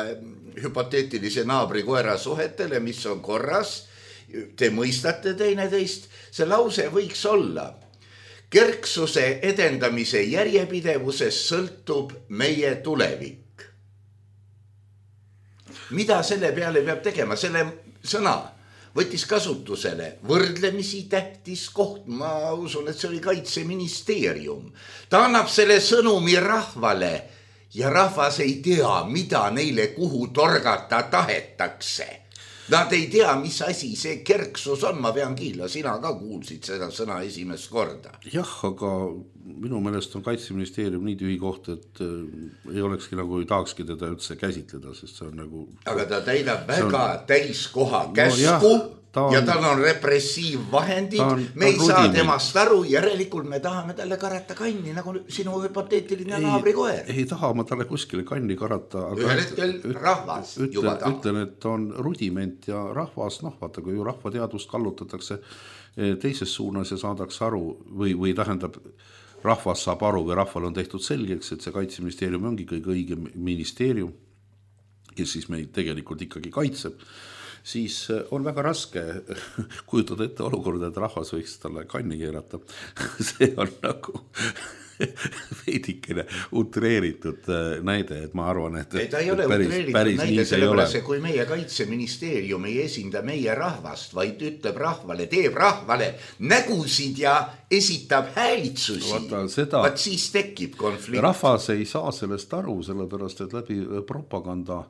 hüpoteetilise naabri koera suhetele, mis on korras. Te mõistate teineteist. See lause võiks olla: kerksuse edendamise järjepidevuses sõltub meie tulevik. Mida selle peale peab tegema? Selle sõna võttis kasutusele võrdlemisi tähtis koht. Ma usun, et see oli Kaitseministeerium. Ta annab selle sõnumi rahvale ja rahvas ei tea, mida neile kuhu torgata tahetakse. Nad ei tea, mis asi see kerksus on. Ma pean kiila, sina ka kuulsid seda sõna esimest korda. Jah, aga minu meelest on Kaitseministeerium nii tühi koht, et ei olekski nagu, ei tahakski teda üldse käsitleda, sest see on nagu... Aga ta täidab väga on... täiskoha käsku no, on... ja tal on repressiivvahendid. On, me ei saa temast aru, järelikult me tahame talle karata kanni, nagu sinu hüpoteetiline naabrikoer. Ei taha ma talle kuskile kanni karata. Aga ühel hetkel üt, rahvas ütlen, juba tahab. Ütlen, et on rudiment ja rahvas, noh, vaata, kui ju rahvateadust kallutatakse teises suunas ja saadaks aru või, või tähendab... rahvas saab aru või rahval on tehtud selgeks, et see Kaitseministeerium ongi kõige õige ministeerium, kes siis meid tegelikult ikkagi kaitseb, siis on väga raske kujutada ette olukorda, et rahvas võiks talle kanni keerata. See on nagu veidikene utreeritud näide, et ma arvan, et, ei, ta ei ole päris, utreeritud päris näide, sellepärast, kui meie Kaitseministeerium ei esinda meie rahvast, vaid ütleb rahvale, teeb rahvale nägusid ja esitab häälitsusi, seda... vaat siis tekib konflikt. Rahvas ei saa sellest aru, sellepärast, et läbi propaganda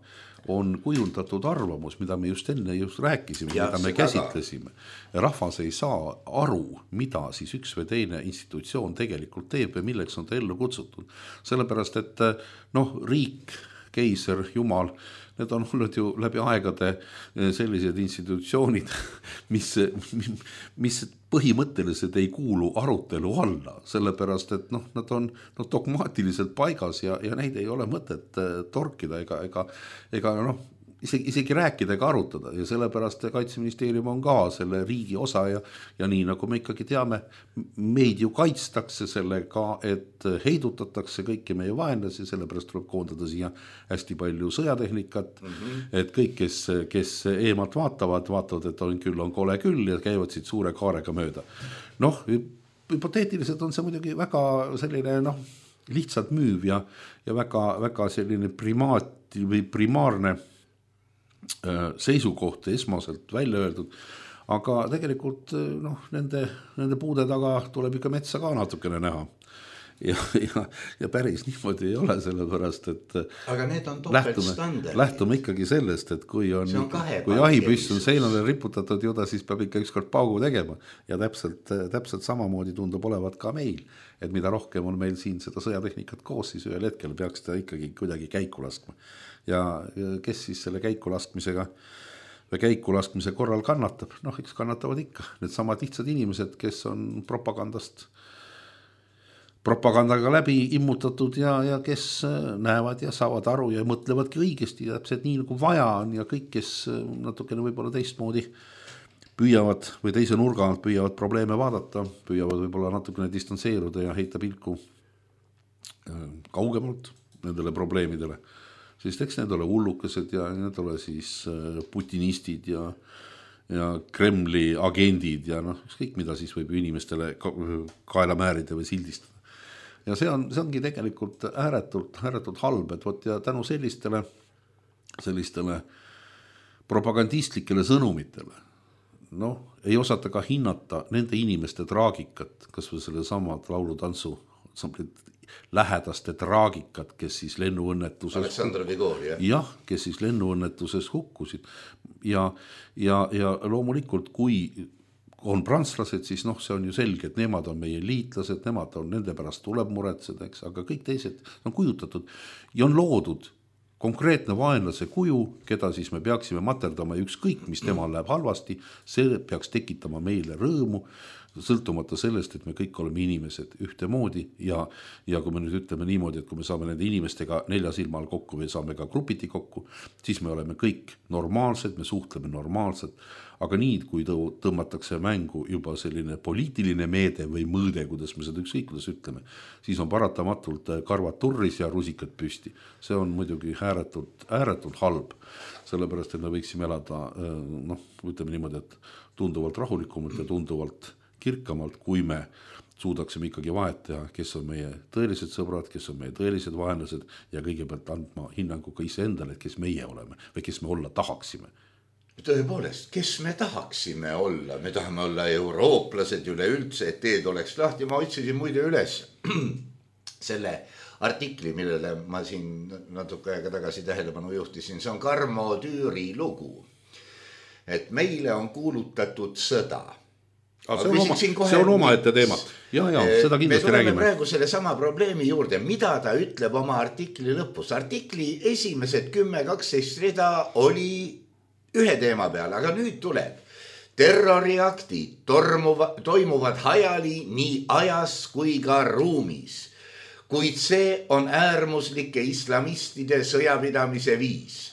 on kujundatud arvamus, mida me just enne just rääkisime, ja, mida me käsitlesime. Rahvas ei saa aru, mida siis üks või teine institutsioon tegelikult teeb ja milleks on ta ellu kutsutud. Sellepärast, et noh, riik, keiser, jumal, need on olnud ju läbi aegade sellised institutsioonid, mis, mis põhimõtteliselt ei kuulu arutelu alla, sellepärast, et noh, nad on no, dogmaatiliselt paigas ja, ja neid ei ole mõtet torkida ega, ega, ega noh, isegi, isegi rääkida ega arutada ja sellepärast Kaitseministeerium on ka selle riigi osa ja, ja nii nagu me ikkagi teame, meid ju kaitstakse sellega, et heidutatakse kõiki meie vaenlasi, sellepärast tuleb koondada siia hästi palju sõjatehnikat, mm-hmm. et kõik, kes, kes eemalt vaatavad, vaatavad, et on küll on kole küll ja käivad siit suure kaarega mööda. Noh, hüpoteetiliselt on see muidugi väga selline noh, lihtsalt müüv ja, ja väga, väga selline primaat või primaarne seisukoht esmaselt välja öeldud, aga tegelikult noh, nende, nende puude taga tuleb ikka metsa ka natukene näha ja, ja, ja päris niimoodi ei ole, sellepärast, et aga need on topeltstandard. Lähtume ikkagi sellest, et kui on, on kui jahipüss on seinale riputatud juda, siis peab ikka ükskord paugu tegema ja täpselt, täpselt samamoodi tundub olevat ka meil, et mida rohkem on meil siin seda sõjatehnikat koos, siis ühel hetkel peaks ta ikkagi kuidagi käiku laskma ja kes siis selle käiku laskmisega või käiku laskmise korral kannatab, noh, eks kannatavad ikka need samad lihtsad inimesed, kes on propagandast propagandaga läbi immutatud ja, ja kes näevad ja saavad aru ja mõtlevadki õigesti ja täpselt nii nagu vaja on ja kõik, kes natukene võib-olla teistmoodi püüavad või teise nurga alt püüavad probleeme vaadata, püüavad võib-olla natukene distantseeruda ja heita pilku kaugemalt nendele probleemidele, siis eks need ole hullukesed ja need ole siis putinistid ja ja Kremli agendid ja noh, kõik mida siis võib inimestele kaela määrida või sildistada. Ja see, on, see ongi tegelikult ääretult, ääretult halb, et võt ja tänu sellistele, sellistele propagandistlikele sõnumitele, noh, ei osata ka hinnata nende inimeste traagikat, kas või selle samad laulutantsu lähedaste traagikat, kes siis lennuõnnetuses Aleksandr Vigor, jah? jah, kes siis lennuõnnetuses hukkusid ja, ja, ja loomulikult kui on prantslased, siis noh, see on ju selge, et nemad on meie liitlased, nemad on, nende pärast tuleb muretseda, eks, aga kõik teised on kujutatud ja on loodud konkreetne vaenlase kuju, keda siis me peaksime materdama ja ükskõik, mis temal läheb halvasti, see peaks tekitama meile rõõmu, sõltumata sellest, et me kõik oleme inimesed ühtemoodi ja, ja kui me nüüd ütleme niimoodi, et kui me saame nende inimestega nelja silma all kokku või saame ka grupiti kokku, siis me oleme kõik normaalsed, me suhtleme normaalselt, aga nii, kui tõmmatakse mängu juba selline poliitiline meede või mõõde, kuidas me seda ükskõik, kuidas ütleme, siis on paratamatult karvad turris ja rusikad püsti. See on muidugi ääretult, ääretult halb, sellepärast, et me võiksime elada, noh, ütleme niimoodi, et tunduvalt rahulikumalt ja tunduvalt kirkamalt, kui me suudaksime ikkagi vahet teha, kes on meie tõelised sõbrad, kes on meie tõelised vaenlased ja kõigepealt andma hinnangu ka ise endale, kes meie oleme või kes me olla tahaksime. Tõepoolest, kes me tahaksime olla? Me tahame olla eurooplased üleüldse, et teed oleks lahti. Ma otsisin muide üles selle artikli, millele ma siin natuke aega tagasi tähelepanu juhtisin. See on Karmo Tüüri lugu, et meile on kuulutatud sõda. See on, oma, see on oma ette teema. Ja, ja, seda kindlasti räägime. Me tuleme praegu selle sama probleemi juurde, mida ta ütleb oma artikli lõpus. Artikli esimesed kümme kaksteist rida oli ühe teema peal, aga nüüd tuleb. Terroriaktid tormuva, toimuvad hajali nii ajas kui ka ruumis, kuid see on äärmuslike islamistide sõjapidamise viis.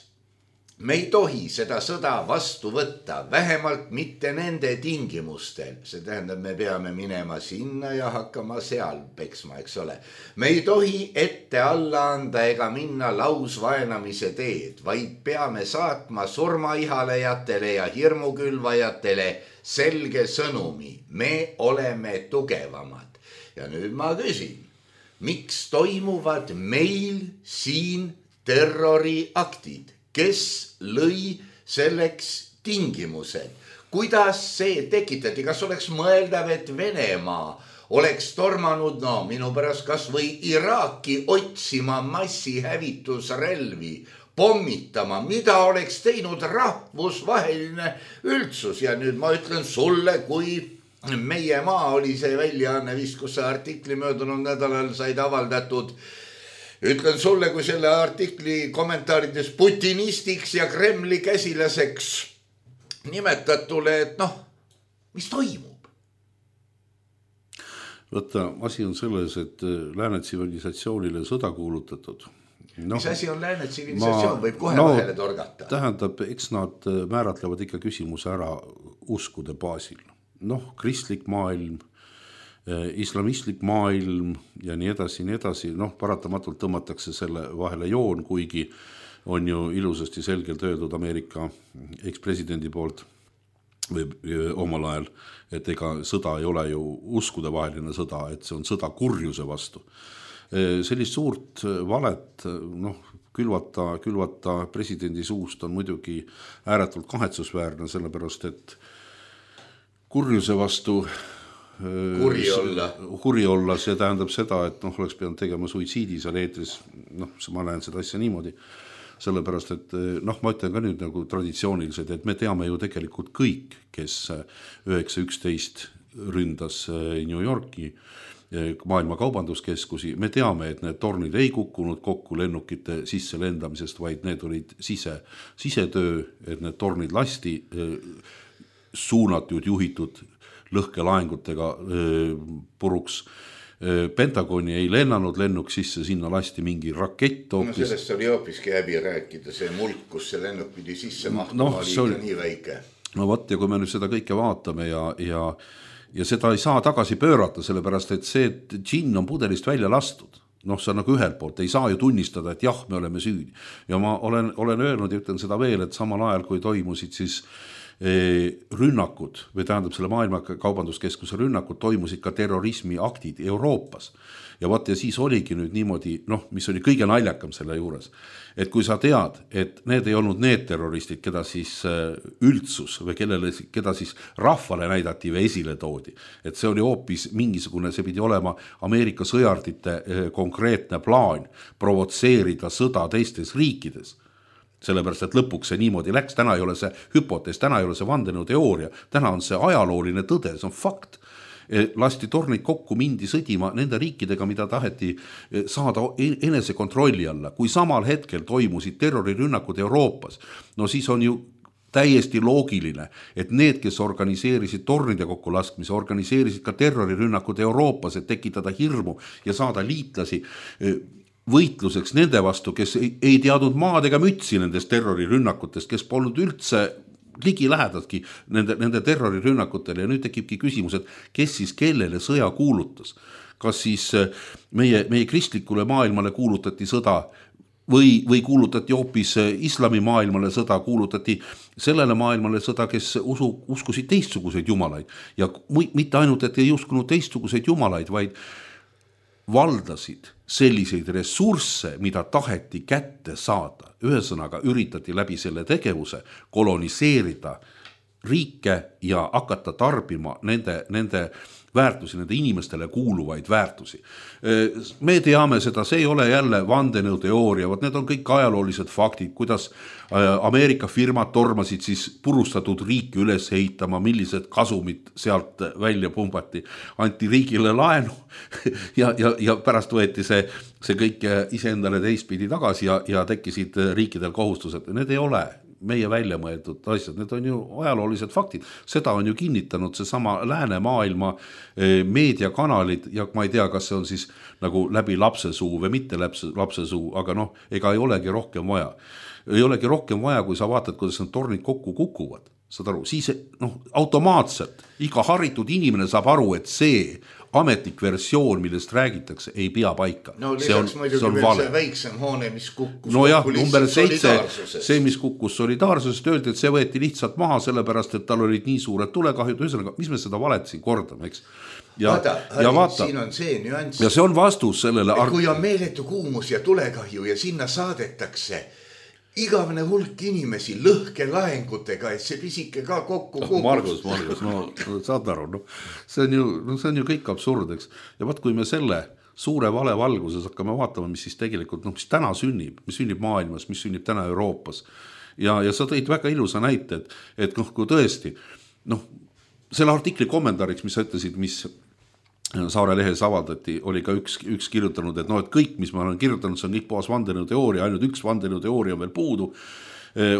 Me ei tohi seda sõda vastu võtta, vähemalt mitte nende tingimustel. See tähendab, me peame minema sinna ja hakkama seal peksma, eks ole. Me ei tohi ette alla anda ega minna lausvaenamise teed, vaid peame saatma surmaihalejatele ja hirmukülvajatele selge sõnumi. Me oleme tugevamad. Ja nüüd ma küsin, miks toimuvad meil siin terroriaktid? Kes lõi selleks tingimused? Kuidas see tekitati? Kas oleks mõeldav, et Venemaa oleks tormanud, no minu pärast kas või Iraaki otsima massihävitusrelvi, pommitama, mida oleks teinud rahvusvaheline üldsus? Ja nüüd ma ütlen sulle, kui Meie maa oli see väljaanne vist, kus see artikli möödunud nädalal said avaldatud. Ütlen sulle, kui selle artikli kommentaarides putinistiks ja Kremli käsilaseks nimetatule, et noh, mis toimub? Võtta, asi on selles, et lääne tsivilisatsioonile sõda kuulutatud. No, mis asi on lääne tsivilisatsioon? Võib kohe no, vahele torgata. Tähendab, eks nad määratlevad ikka küsimuse ära uskude baasil. Noh, kristlik maailm, islamistlik maailm ja nii edasi, nii edasi, noh, paratamatult tõmmatakse selle vahele joon, kuigi on ju ilusasti selgelt öeldud Ameerika ekspresidendi poolt või omal ajal, et ega sõda ei ole ju uskude vaheline sõda, et see on sõda kurjuse vastu. Sellist suurt valet, noh, külvata, külvata presidendi suust on muidugi ääretult kahetsusväärne, sellepärast, et kurjuse vastu Kuri olla. Kuri olla, see tähendab seda, et noh, oleks pidanud tegema suitsiidi seal eetris, noh, ma näen seda asja niimoodi, sellepärast, et noh, ma ütlen ka nüüd nagu traditsiooniliselt, et me teame ju tegelikult kõik, kes üheksa üksteist ründas New Yorki maailma kaubanduskeskusi, me teame, et need tornid ei kukkunud kokku lennukite sisse lendamisest, vaid need olid sise, sisetöö, et need tornid lasti suunatud, juhitud lõhkelaengutega puruks. Pentagoni ei lennanud lennuk sisse, sinna lasti mingi rakett hoopis. No sellest oli hoopiski häbi rääkida, see mulk, kus see lennuk pidi sisse mahtuma, no, oli ikka oli... nii väike. No võt, ja kui me nüüd seda kõike vaatame ja, ja, ja seda ei saa tagasi pöörata, sellepärast, et see džinn on pudelist välja lastud. Noh, see on nagu ühelt poolt, ei saa ju tunnistada, et jah, me oleme süüdi. Ja ma olen, olen öelnud ja ütlen seda veel, et samal ajal, kui toimusid siis rünnakud või tähendab selle maailma kaubanduskeskuse rünnakud, toimusid ka terrorismi aktid Euroopas. Ja vaat ja siis oligi nüüd niimoodi, noh, mis oli kõige naljakam selle juures, et kui sa tead, et need ei olnud need terroristid, keda siis üldsus või kellele, keda siis rahvale näidati või esile toodi, et see oli hoopis mingisugune, see pidi olema Ameerika sõjardite konkreetne plaan provotseerida sõda teistes riikides. sellepärast, et lõpuks see niimoodi läks, täna ei ole see hüpotees, täna ei ole see vandenõuteooria, täna on see ajalooline tõde, see on fakt. Lasti tornid kokku, mindi sõdima nende riikidega, mida taheti saada enese kontrolli alla. Kui samal hetkel toimusid terrorirünnakud Euroopas, no siis on ju täiesti loogiline, et need, kes organiseerisid tornide kokku laskmise, organiseerisid ka terrorirünnakud Euroopas, et tekitada hirmu ja saada liitlasi võitluseks nende vastu, kes ei, ei teadnud maad ega mütsi nendest terrorirünnakutest, kes polnud üldse ligi lähedadki nende, nende terrorirünnakutele ja nüüd tekibki küsimus, et kes siis kellele sõja kuulutas. Kas siis meie, meie kristlikule maailmale kuulutati sõda või, või kuulutati hoopis islami maailmale sõda, kuulutati sellele maailmale sõda, kes usu, uskusid teistsuguseid jumalaid. Ja mitte ainult, et ei uskunud teistsuguseid jumalaid, vaid valdasid selliseid ressursse, mida taheti kätte saada. Ühesõnaga üritati läbi selle tegevuse koloniseerida riike ja hakata tarbima nende, nende väärtusi, nende inimestele kuuluvaid väärtusi. Me teame seda, see ei ole jälle vandenõuteooria, need on kõik ajaloolised faktid, kuidas Ameerika firmad tormasid siis purustatud riiki üles ehitama, millised kasumid sealt välja pumbati, anti riigile laenu ja, ja, ja pärast võeti see, see kõik iseendale teistpidi tagasi ja, ja tekkisid riikidel kohustused. Need ei ole meie välja mõeldud asjad, need on ju ajaloolised faktid. Seda on ju kinnitanud see sama läänemaailma meediakanalid ja ma ei tea, kas see on siis nagu läbi lapsesuu või mitte lapsesuu, aga noh, ega ei olegi rohkem vaja. Ei olegi rohkem vaja, kui sa vaatad, kuidas need tornid kokku kukuvad. Saad aru, siis noh, automaatselt iga haritud inimene saab aru, et see ametlik versioon, millest räägitakse, ei pea paika. No lisaks muidugi veel vale. See väiksem hoone, mis kukkus no jah, number seitse, see, mis kukkus solidaarsusest, öeldi, et see võeti lihtsalt maha, sellepärast, et tal olid nii suured tulekahjud, ühesõnaga, mis me seda valet siin kordame, eks? Ja, vaata, ja vaata, siin on see nüanss. Ja see on vastus sellele. Et kui on meeletu kuumus ja tulekahju ja sinna saadetakse igavene hulk inimesi lõhke laengutega, et see pisike ka kokku kukus. Margus, Margus, no saad aru, no, see, on ju, no, see on ju kõik absurd, eks. Ja vaat, kui me selle suure vale valguses hakkame vaatama, mis siis tegelikult, no, mis täna sünnib, mis sünnib maailmas, mis sünnib täna Euroopas. Ja, ja sa tõid väga ilusa näite, et, et noh, kui tõesti, noh, selle artikli kommentaariks, mis sa ütlesid, mis Saare lehes avaldati, oli ka üks, üks kirjutanud, et no, et kõik, mis ma olen kirjutanud, see on kõik puhas vandenõuteooria, ainult üks vandenõuteooria on veel puudu.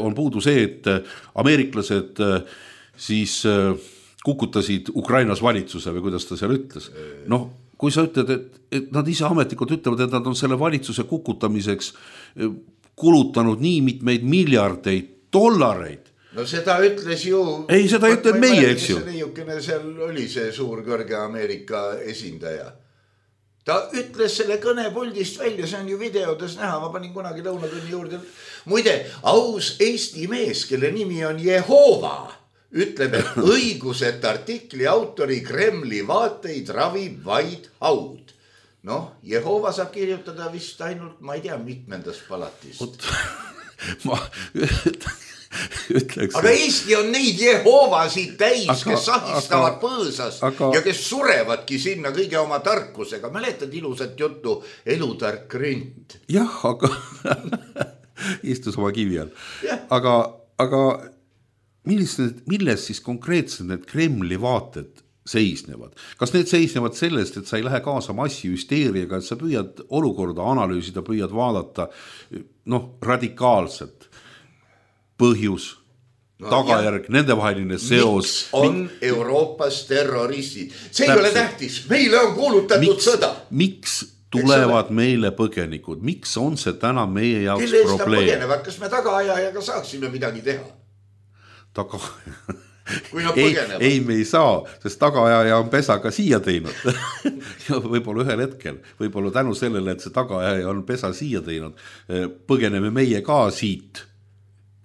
On puudu see, et ameeriklased siis kukutasid Ukrainas valitsuse või kuidas ta seal ütles. Noh, kui sa ütled, et, et nad ise ametlikult ütlevad, et nad on selle valitsuse kukutamiseks kulutanud nii mitmeid miljardeid dollareid. No seda ütles ju... Ei, seda ütleb meie, eks ju. Seal oli see suur kõrge Ameerika esindaja. Ta ütles selle kõnepuldist välja, see on ju videodes näha, ma panin kunagi lõunatunni juurde. Muide, aus Eesti mees, kelle nimi on Jehova, ütleb, et õiguset artikli autori Kremli vaateid ravib vaid haud. Noh, Jehova saab kirjutada vist ainult, ma ei tea, mitmendas palatist. ma ütleks. Aga Eesti on neid Jehovasid täis, aga, kes sahistavad aga, põõsas aga, ja kes surevadki sinna kõige oma tarkusega. Mäletad ilusat juttu elutark ründ? Jah, aga istus oma kivi all. Aga, aga milles, milles siis konkreetselt need Kremli vaated seisnevad? Kas need seisnevad sellest, et sa ei lähe kaasa massihüsteeriaga, et sa püüad olukorda analüüsida, püüad vaadata noh, radikaalselt põhjus, no, tagajärg, nendevaheline seos. Miks on Mik... Euroopas terroristid? See Täpselt. Ei ole tähtis. Meile on kuulutatud miks, sõda. Miks tulevad meile põgenikud? Miks on see täna meie jaoks Kelle probleem? Põgenevad? Kas me tagaajajaga saaksime midagi teha? Taga... Kui nad ei, põgenevad. Ei, me ei saa, sest tagaajaja on pesa ka siia teinud. Ja võib-olla ühel hetkel, võib-olla tänu sellele, et see tagaajaja on pesa siia teinud, põgeneme meie ka siit.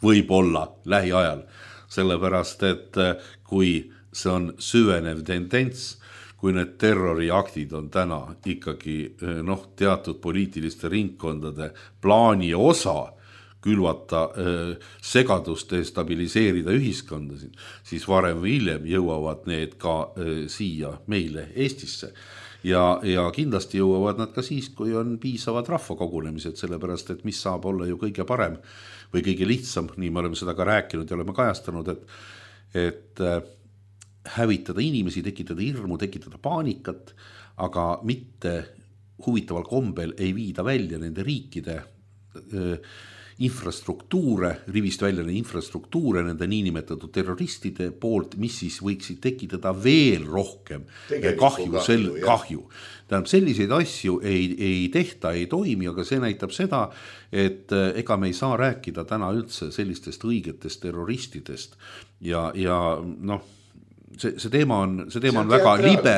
Võib-olla lähiajal, sellepärast, et kui see on süvenev tendents, kui need terroriaktid on täna ikkagi noh, teatud poliitiliste ringkondade plaani osa külvata segadust ja stabiliseerida ühiskondasid, siis varem või hiljem jõuavad need ka siia meile Eestisse. ja, ja kindlasti jõuavad nad ka siis, kui on piisavad rahvakogunemised, sellepärast, et mis saab olla ju kõige parem või kõige lihtsam, nii me oleme seda ka rääkinud ja oleme kajastanud, et, et hävitada inimesi, tekitada hirmu, tekitada paanikat, aga mitte huvitaval kombel ei viida välja nende riikide öö, infrastruktuure, rivist välja neid infrastruktuure nende niinimetatud terroristide poolt, mis siis võiksid tekitada veel rohkem Tegeliku kahju, sel, kahju. Tähendab, selliseid asju ei, ei tehta, ei toimi, aga see näitab seda, et ega me ei saa rääkida täna üldse sellistest õigetest terroristidest ja, ja noh, See, see teema on, see teema see on, on väga libe,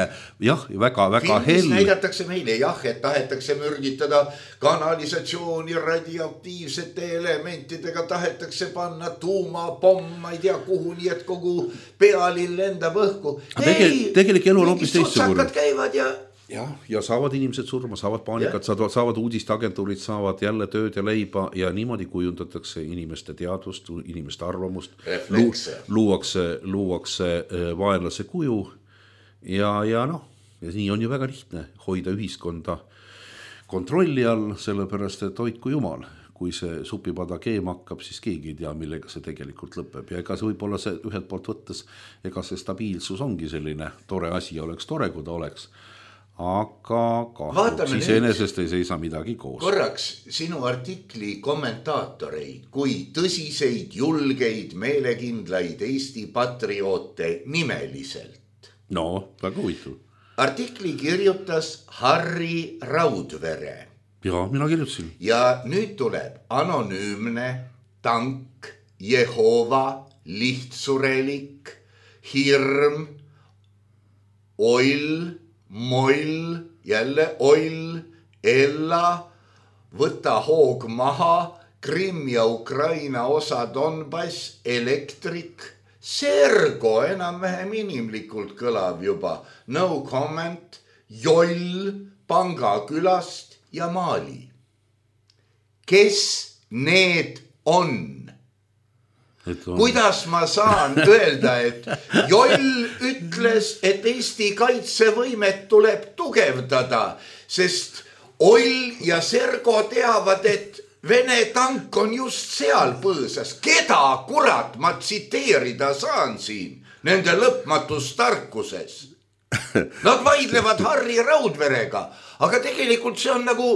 jah, väga, väga hell. Filmis näidatakse meile, jah, et tahetakse mürgitada kanalisatsiooni radioaktiivsete elementidega, tahetakse panna tuumapomm, ma ei tea kuhu, nii et kogu pealinn lendab õhku. Tegel, tegelik elu on hoopis teistsugune. Käivad ja... Ja, ja saavad inimesed surma, saavad paanikat, saavad, saavad uudisteagentuurid, saavad jälle tööd ja leiba ja niimoodi kujundatakse inimeste teadvust, inimeste arvamust, Lu, luuakse, luuakse vaenlase kuju ja, ja noh, ja nii on ju väga lihtne hoida ühiskonda kontrolli all, sellepärast, et hoidku jumal, kui see supipada keema hakkab, siis keegi ei tea, millega see tegelikult lõpeb ja ega see võib-olla see ühelt poolt võttes, ega see stabiilsus ongi selline tore asi, oleks tore, kui ta oleks. Aga kahjuks siis enesest ei seisa midagi koos. Korraks sinu artikli kommentaatoreid kui tõsiseid, julgeid, meelekindlaid Eesti patrioote nimeliselt. No, väga huvitav. Artikli kirjutas Harri Raudvere. Ja, mina kirjutasin. Ja nüüd tuleb anonüümne, tank, Jehova, lihtsurelik, hirm, oil, moll, jälle oil, Ella, võta hoog maha, Krimm ja Ukraina osa Donbass, elektrik, Sergo enam-vähem inimlikult kõlab juba, no comment, Joll, Pangakülast ja Mali. Kes need on? On. Kuidas ma saan öelda, et Joll ütles, et Eesti kaitsevõimet tuleb tugevdada, sest Oll ja Sergo teavad, et Vene tank on just seal põõsas. Keda kurat ma tsiteerida saan siin nende lõpmatus tarkuses? Nad vaidlevad Harri Raudverega, aga tegelikult see on nagu,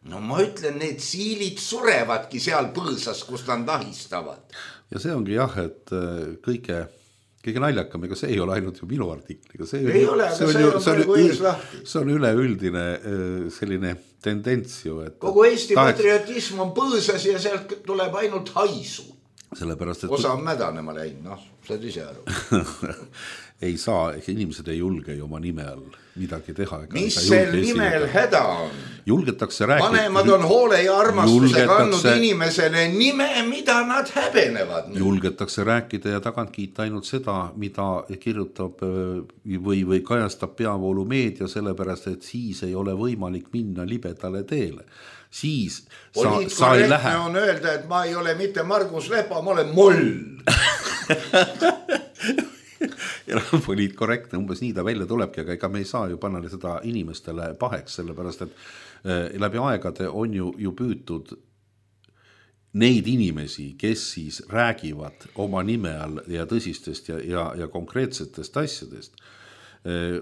no ma ütlen, need siilid surevadki seal põõsas, kus nad nahistavad. Ja see ongi jah, et kõige, kõige naljakam, ega see ei ole ainult ju minu artikliga. See ei ju, ole, aga see on, see ju, on see praegu ees lahti. See on üleüldine selline tendents ju. Et kogu Eesti taheks... patriotism on põõsas ja sealt tuleb ainult haisu. Sellepärast, et... Osa on mädanema läinud, noh, saad ise aru. Ei saa, inimesed ei julge ju oma nime all midagi teha. Mis sel nimel häda on? Julgetakse rääkida. Vanemad on hoole ja armastuse kandnud inimesele nime, mida nad häbenevad. Julgetakse rääkida ja tagant kiita ainult seda, mida kirjutab või, või kajastab peavoolu meedia, sellepärast, et siis ei ole võimalik minna libedale teele. Siis sa, sa ei lähe. On öelda, et ma ei ole mitte Margus Lepa, ma olen moll. Ja poliitkorrektne, umbes nii ta välja tulebki, aga ega me ei saa ju panna seda inimestele paheks, sellepärast, et läbi aegade on ju, ju püütud neid inimesi, kes siis räägivad oma nime all ja tõsistest ja, ja, ja konkreetsetest asjadest,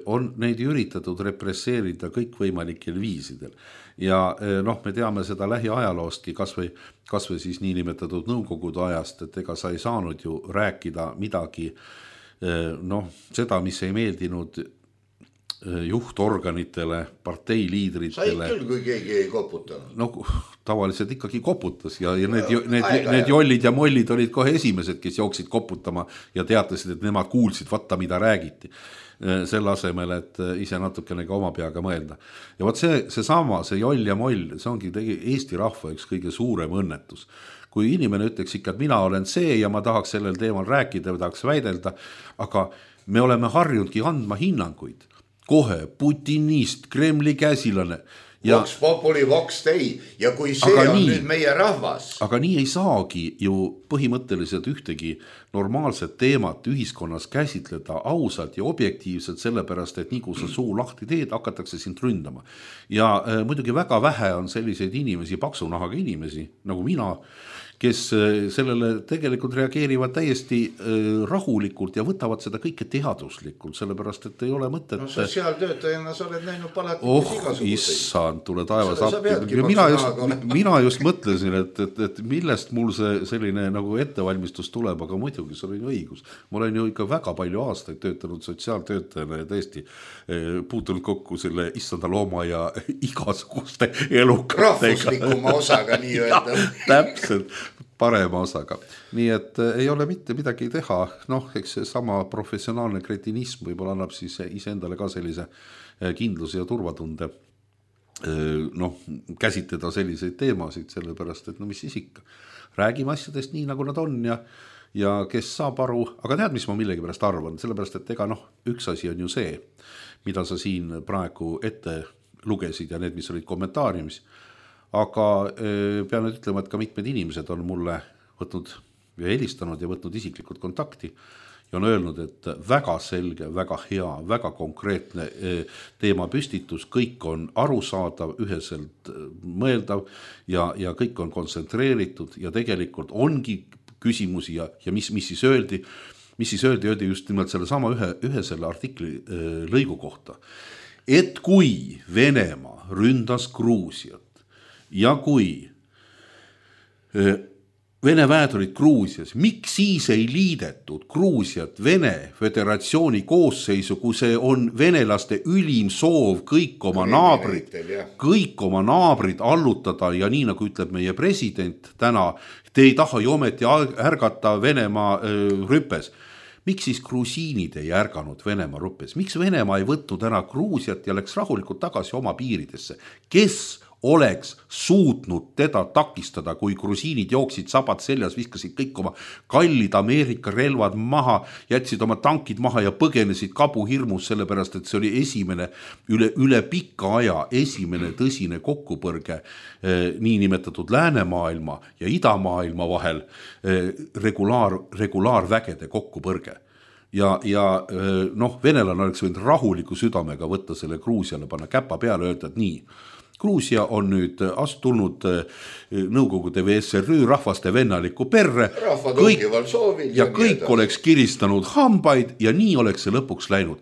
on neid üritatud represseerida kõikvõimalikel viisidel. Ja noh, me teame seda lähiajaloostki, kas või, kas või siis niinimetatud nõukogude ajast, et ega sa ei saanud ju rääkida midagi noh, seda, mis ei meeldinud juhtorganitele, parteiliidritele. Sai küll, kui keegi ei koputanud. No tavaliselt ikkagi koputas ja, ja need, need, need jollid ja mollid olid kohe esimesed, kes jooksid koputama ja teatasid, et nemad kuulsid, vatta mida räägiti. Selle asemel, et ise natukene ka oma peaga mõelda. Ja võt see, see sama, see joll ja moll, see ongi tegi Eesti rahva üks kõige suurem õnnetus. Kui inimene ütleks ikka, et mina olen see ja ma tahaks sellel teemal rääkida või tahaks väidelda, aga me oleme harjunudki andma hinnanguid. Kohe Putinist, Kremli käsilane ja, Vox populi, Vox dei ja kui see on nii, nüüd meie rahvas. Aga nii ei saagi ju põhimõtteliselt ühtegi normaalset teemat ühiskonnas käsitleda ausalt ja objektiivselt, sellepärast, et nii kui sa suu lahti teed, hakatakse sind ründama. Ja äh, muidugi väga vähe on selliseid inimesi, paksunahaga inimesi, nagu mina, kes sellele tegelikult reageerivad täiesti rahulikult ja võtavad seda kõike teaduslikult, sellepärast, et ei ole mõtet. No sotsiaaltöötajana sa oled näinud palati oh, issand, tule taevas appi. Mina just, mina just mõtlesin, et, et, et millest mul see selline nagu ettevalmistus tuleb, aga muidugi see oli õigus. Ma olen ju ikka väga palju aastaid töötanud sotsiaaltöötajana ja tõesti puutunud kokku selle issanda looma ja igasuguste elukatega. Rahvuslikuma osaga nii öelda. Täpselt. Parema osaga. Nii et ei ole mitte midagi teha, noh, eks see sama professionaalne kretinism võib-olla annab siis iseendale ka sellise kindluse ja turvatunde noh, käsitleda selliseid teemasid, sellepärast, et no mis siis ikka. Räägime asjadest nii, nagu nad on ja, ja kes saab aru, aga tead, mis ma millegi pärast arvan, sellepärast, et ega noh, üks asi on ju see, mida sa siin praegu ette lugesid ja need, mis olid kommentaariumis. Aga pean nüüd ütlema, et ka mitmed inimesed on mulle võtnud ja helistanud ja võtnud isiklikult kontakti ja on öelnud, et väga selge, väga hea, väga konkreetne teema püstitus, kõik on arusaadav, üheselt mõeldav ja, ja kõik on kontsentreeritud ja tegelikult ongi küsimusi ja, ja mis, mis siis öeldi, mis siis öeldi, öeldi just nimelt selle sama ühe, ühe selle artikli lõigu kohta, et kui Venemaa ründas Gruusiat, ja kui Vene väed olid Gruusias, miks siis ei liidetud Gruusiat Vene Föderatsiooni koosseisu, kui see on venelaste ülim soov kõik oma naabrid, kõik oma naabrid allutada ja nii nagu ütleb meie president täna, te ei taha ju ometi ärgata Venemaa rüppes. Miks siis grusiinid ei ärganud Venemaa rüppes? Miks Venemaa ei võtnud ära Gruusiat ja läks rahulikult tagasi oma piiridesse? Kes oleks suutnud teda takistada, kui grusiinid jooksid sabad seljas, viskasid kõik oma kallid Ameerika relvad maha, jätsid oma tankid maha ja põgenesid kabu hirmus, sellepärast, et see oli esimene üle, üle pikka aja esimene tõsine kokkupõrge eh, niinimetatud läänemaailma ja idamaailma vahel eh, regulaar, regulaarvägede kokkupõrge. Ja, ja noh, venelane oleks võinud rahuliku südamega võtta selle Gruusiale, panna käpa peale ja öelda, et nii, Gruusia on nüüd astulnud Nõukogude V S R Ü rahvaste vennaliku perre kõik, soovil, ja kõik oleks kiristanud hambaid ja nii oleks see lõpuks läinud.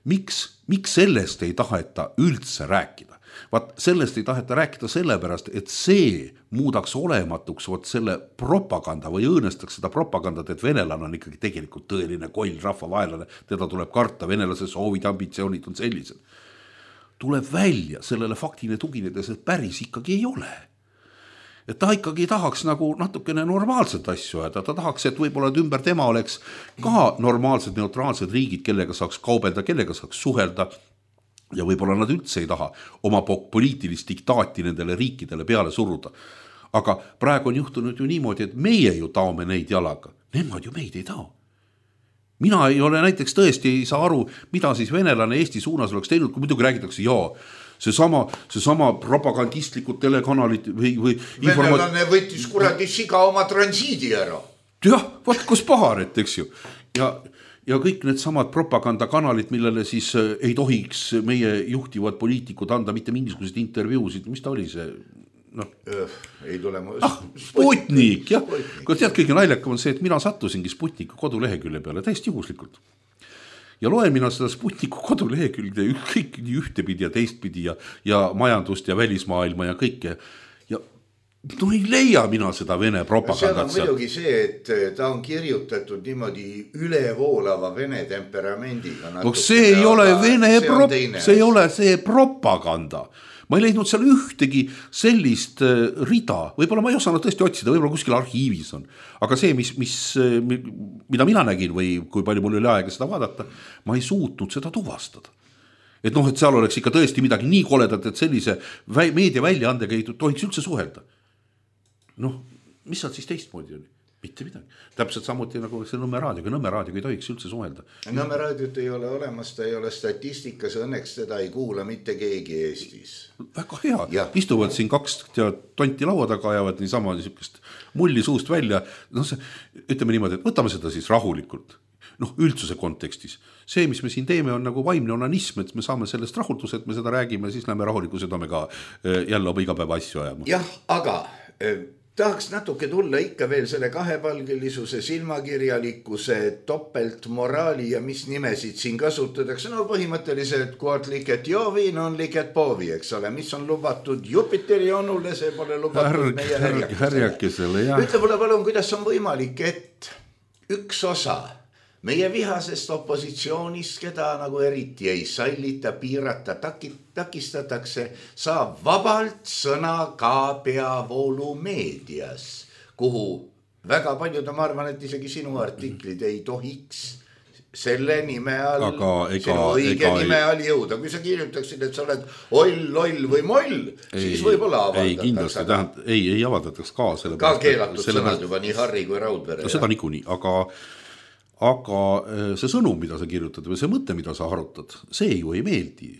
Miks, miks sellest ei taheta üldse rääkida? Vaat sellest ei taheta rääkida sellepärast, et see muudaks olematuks vot selle propaganda või õõnestaks seda propagandat, et venelane on ikkagi tegelikult tõeline koll rahvavaelane, teda tuleb karta, venelase soovid ja ambitsioonid on sellised. Tuleb välja sellele faktile tuginedes, et päris ikkagi ei ole. Et ta ikkagi tahaks nagu natukene normaalset asju ajada, ta tahaks, et võib-olla et ümber tema oleks ka normaalsed neutraalsed riigid, kellega saaks kaubelda, kellega saaks suhelda ja võib-olla nad üldse ei taha oma poliitilist diktaati nendele riikidele peale suruda. Aga praegu on juhtunud ju niimoodi, et meie ju taome neid jalaga, nemad ju meid ei tao. Mina ei ole näiteks tõesti ei saa aru, mida siis venelane Eesti suunas oleks teinud, kui muidugi räägitakse, jaa, see sama, see sama propagandistlikud telekanalit või, või venelane informa... võttis kuradi siga oma transiidi ära. Jah, vaat kus paharet, eks ju. Ja, ja kõik need samad propagandakanalid, millele siis ei tohiks meie juhtivad poliitikud anda mitte mingisugused intervjuusid, mis ta oli see... No. Ei tule mu... ah, Sputnik, jah. Kui tead, kõige naljakam on see, et mina sattusingi Sputniku kodulehekülje peale täiesti juhuslikult. Ja loen mina seda Sputniku kodulehekülje kõik nii ühtepidi ja teistpidi ja, ja majandust ja välismaailma ja kõike. Ja no ei leia mina seda Vene propagandat. See on muidugi see, et ta on kirjutatud niimoodi ülevoolava Vene temperamendiga. No see ei ole Vene, prop... see ei ole see propaganda. Ma ei leidnud seal ühtegi sellist rida, võib-olla ma ei osanud tõesti otsida, võib-olla kuskil arhiivis on, aga see, mis, mis, mida mina nägin või kui palju mul oli aega seda vaadata, ma ei suutnud seda tuvastada. Et noh, et seal oleks ikka tõesti midagi nii koledat, et sellise meedia väljaandega ei tohiks üldse suhelda. Noh, mis seal siis teistmoodi oli? mitte midagi. Täpselt samuti nagu see Nõmme raadioga, Nõmme raadioga ei tohiks üldse suhelda. Nõmme raadiot ei ole olemas, ta ei ole statistikas, õnneks teda ei kuula mitte keegi Eestis. Väga hea, ja. Istuvad siin kaks tonti laua taga, ajavad niisama niisugust mulli suust välja. No see, ütleme niimoodi, et võtame seda siis rahulikult. Noh, üldsuse kontekstis. See, mis me siin teeme, on nagu vaimne onanism, et me saame sellest rahuldus, et me seda räägime, siis lähme rahuliku südamega jälle oma igapäeva asju ajama. Jah, aga eh, tahaks natuke tulla ikka veel selle kahepalgelisuse, silmakirjalikkuse, topeltmoraali ja mis nimesid siin kasutatakse. No põhimõtteliselt, kuat liket joovi, non liket poovi, eks ole, mis on lubatud Jupiteri onule, see pole lubatud Härg, meie härg, härjakesele. Ütle mulle palun, kuidas on võimalik, et üks osa meie vihasest opositsioonist, keda nagu eriti ei sallita, piirata, takistatakse, saab vabalt sõna ka peavoolu meedias, kuhu väga paljud, ma arvan, et isegi sinu artiklid ei tohiks selle nime all, aga ega, sinu õige ega, nime all jõuda. Kui sa kirjutaksid, et sa oled oll, loll või moll, ei, siis võib-olla avaldatakse. Ei, kindlasti, tähend, ei, ei avaldataks ka. Ka keelatud sõnad juba nii Harri kui Raudvere. No, seda niikuinii, aga aga see sõnum, mida sa kirjutad või see mõte, mida sa arutad, see ju ei meeldi.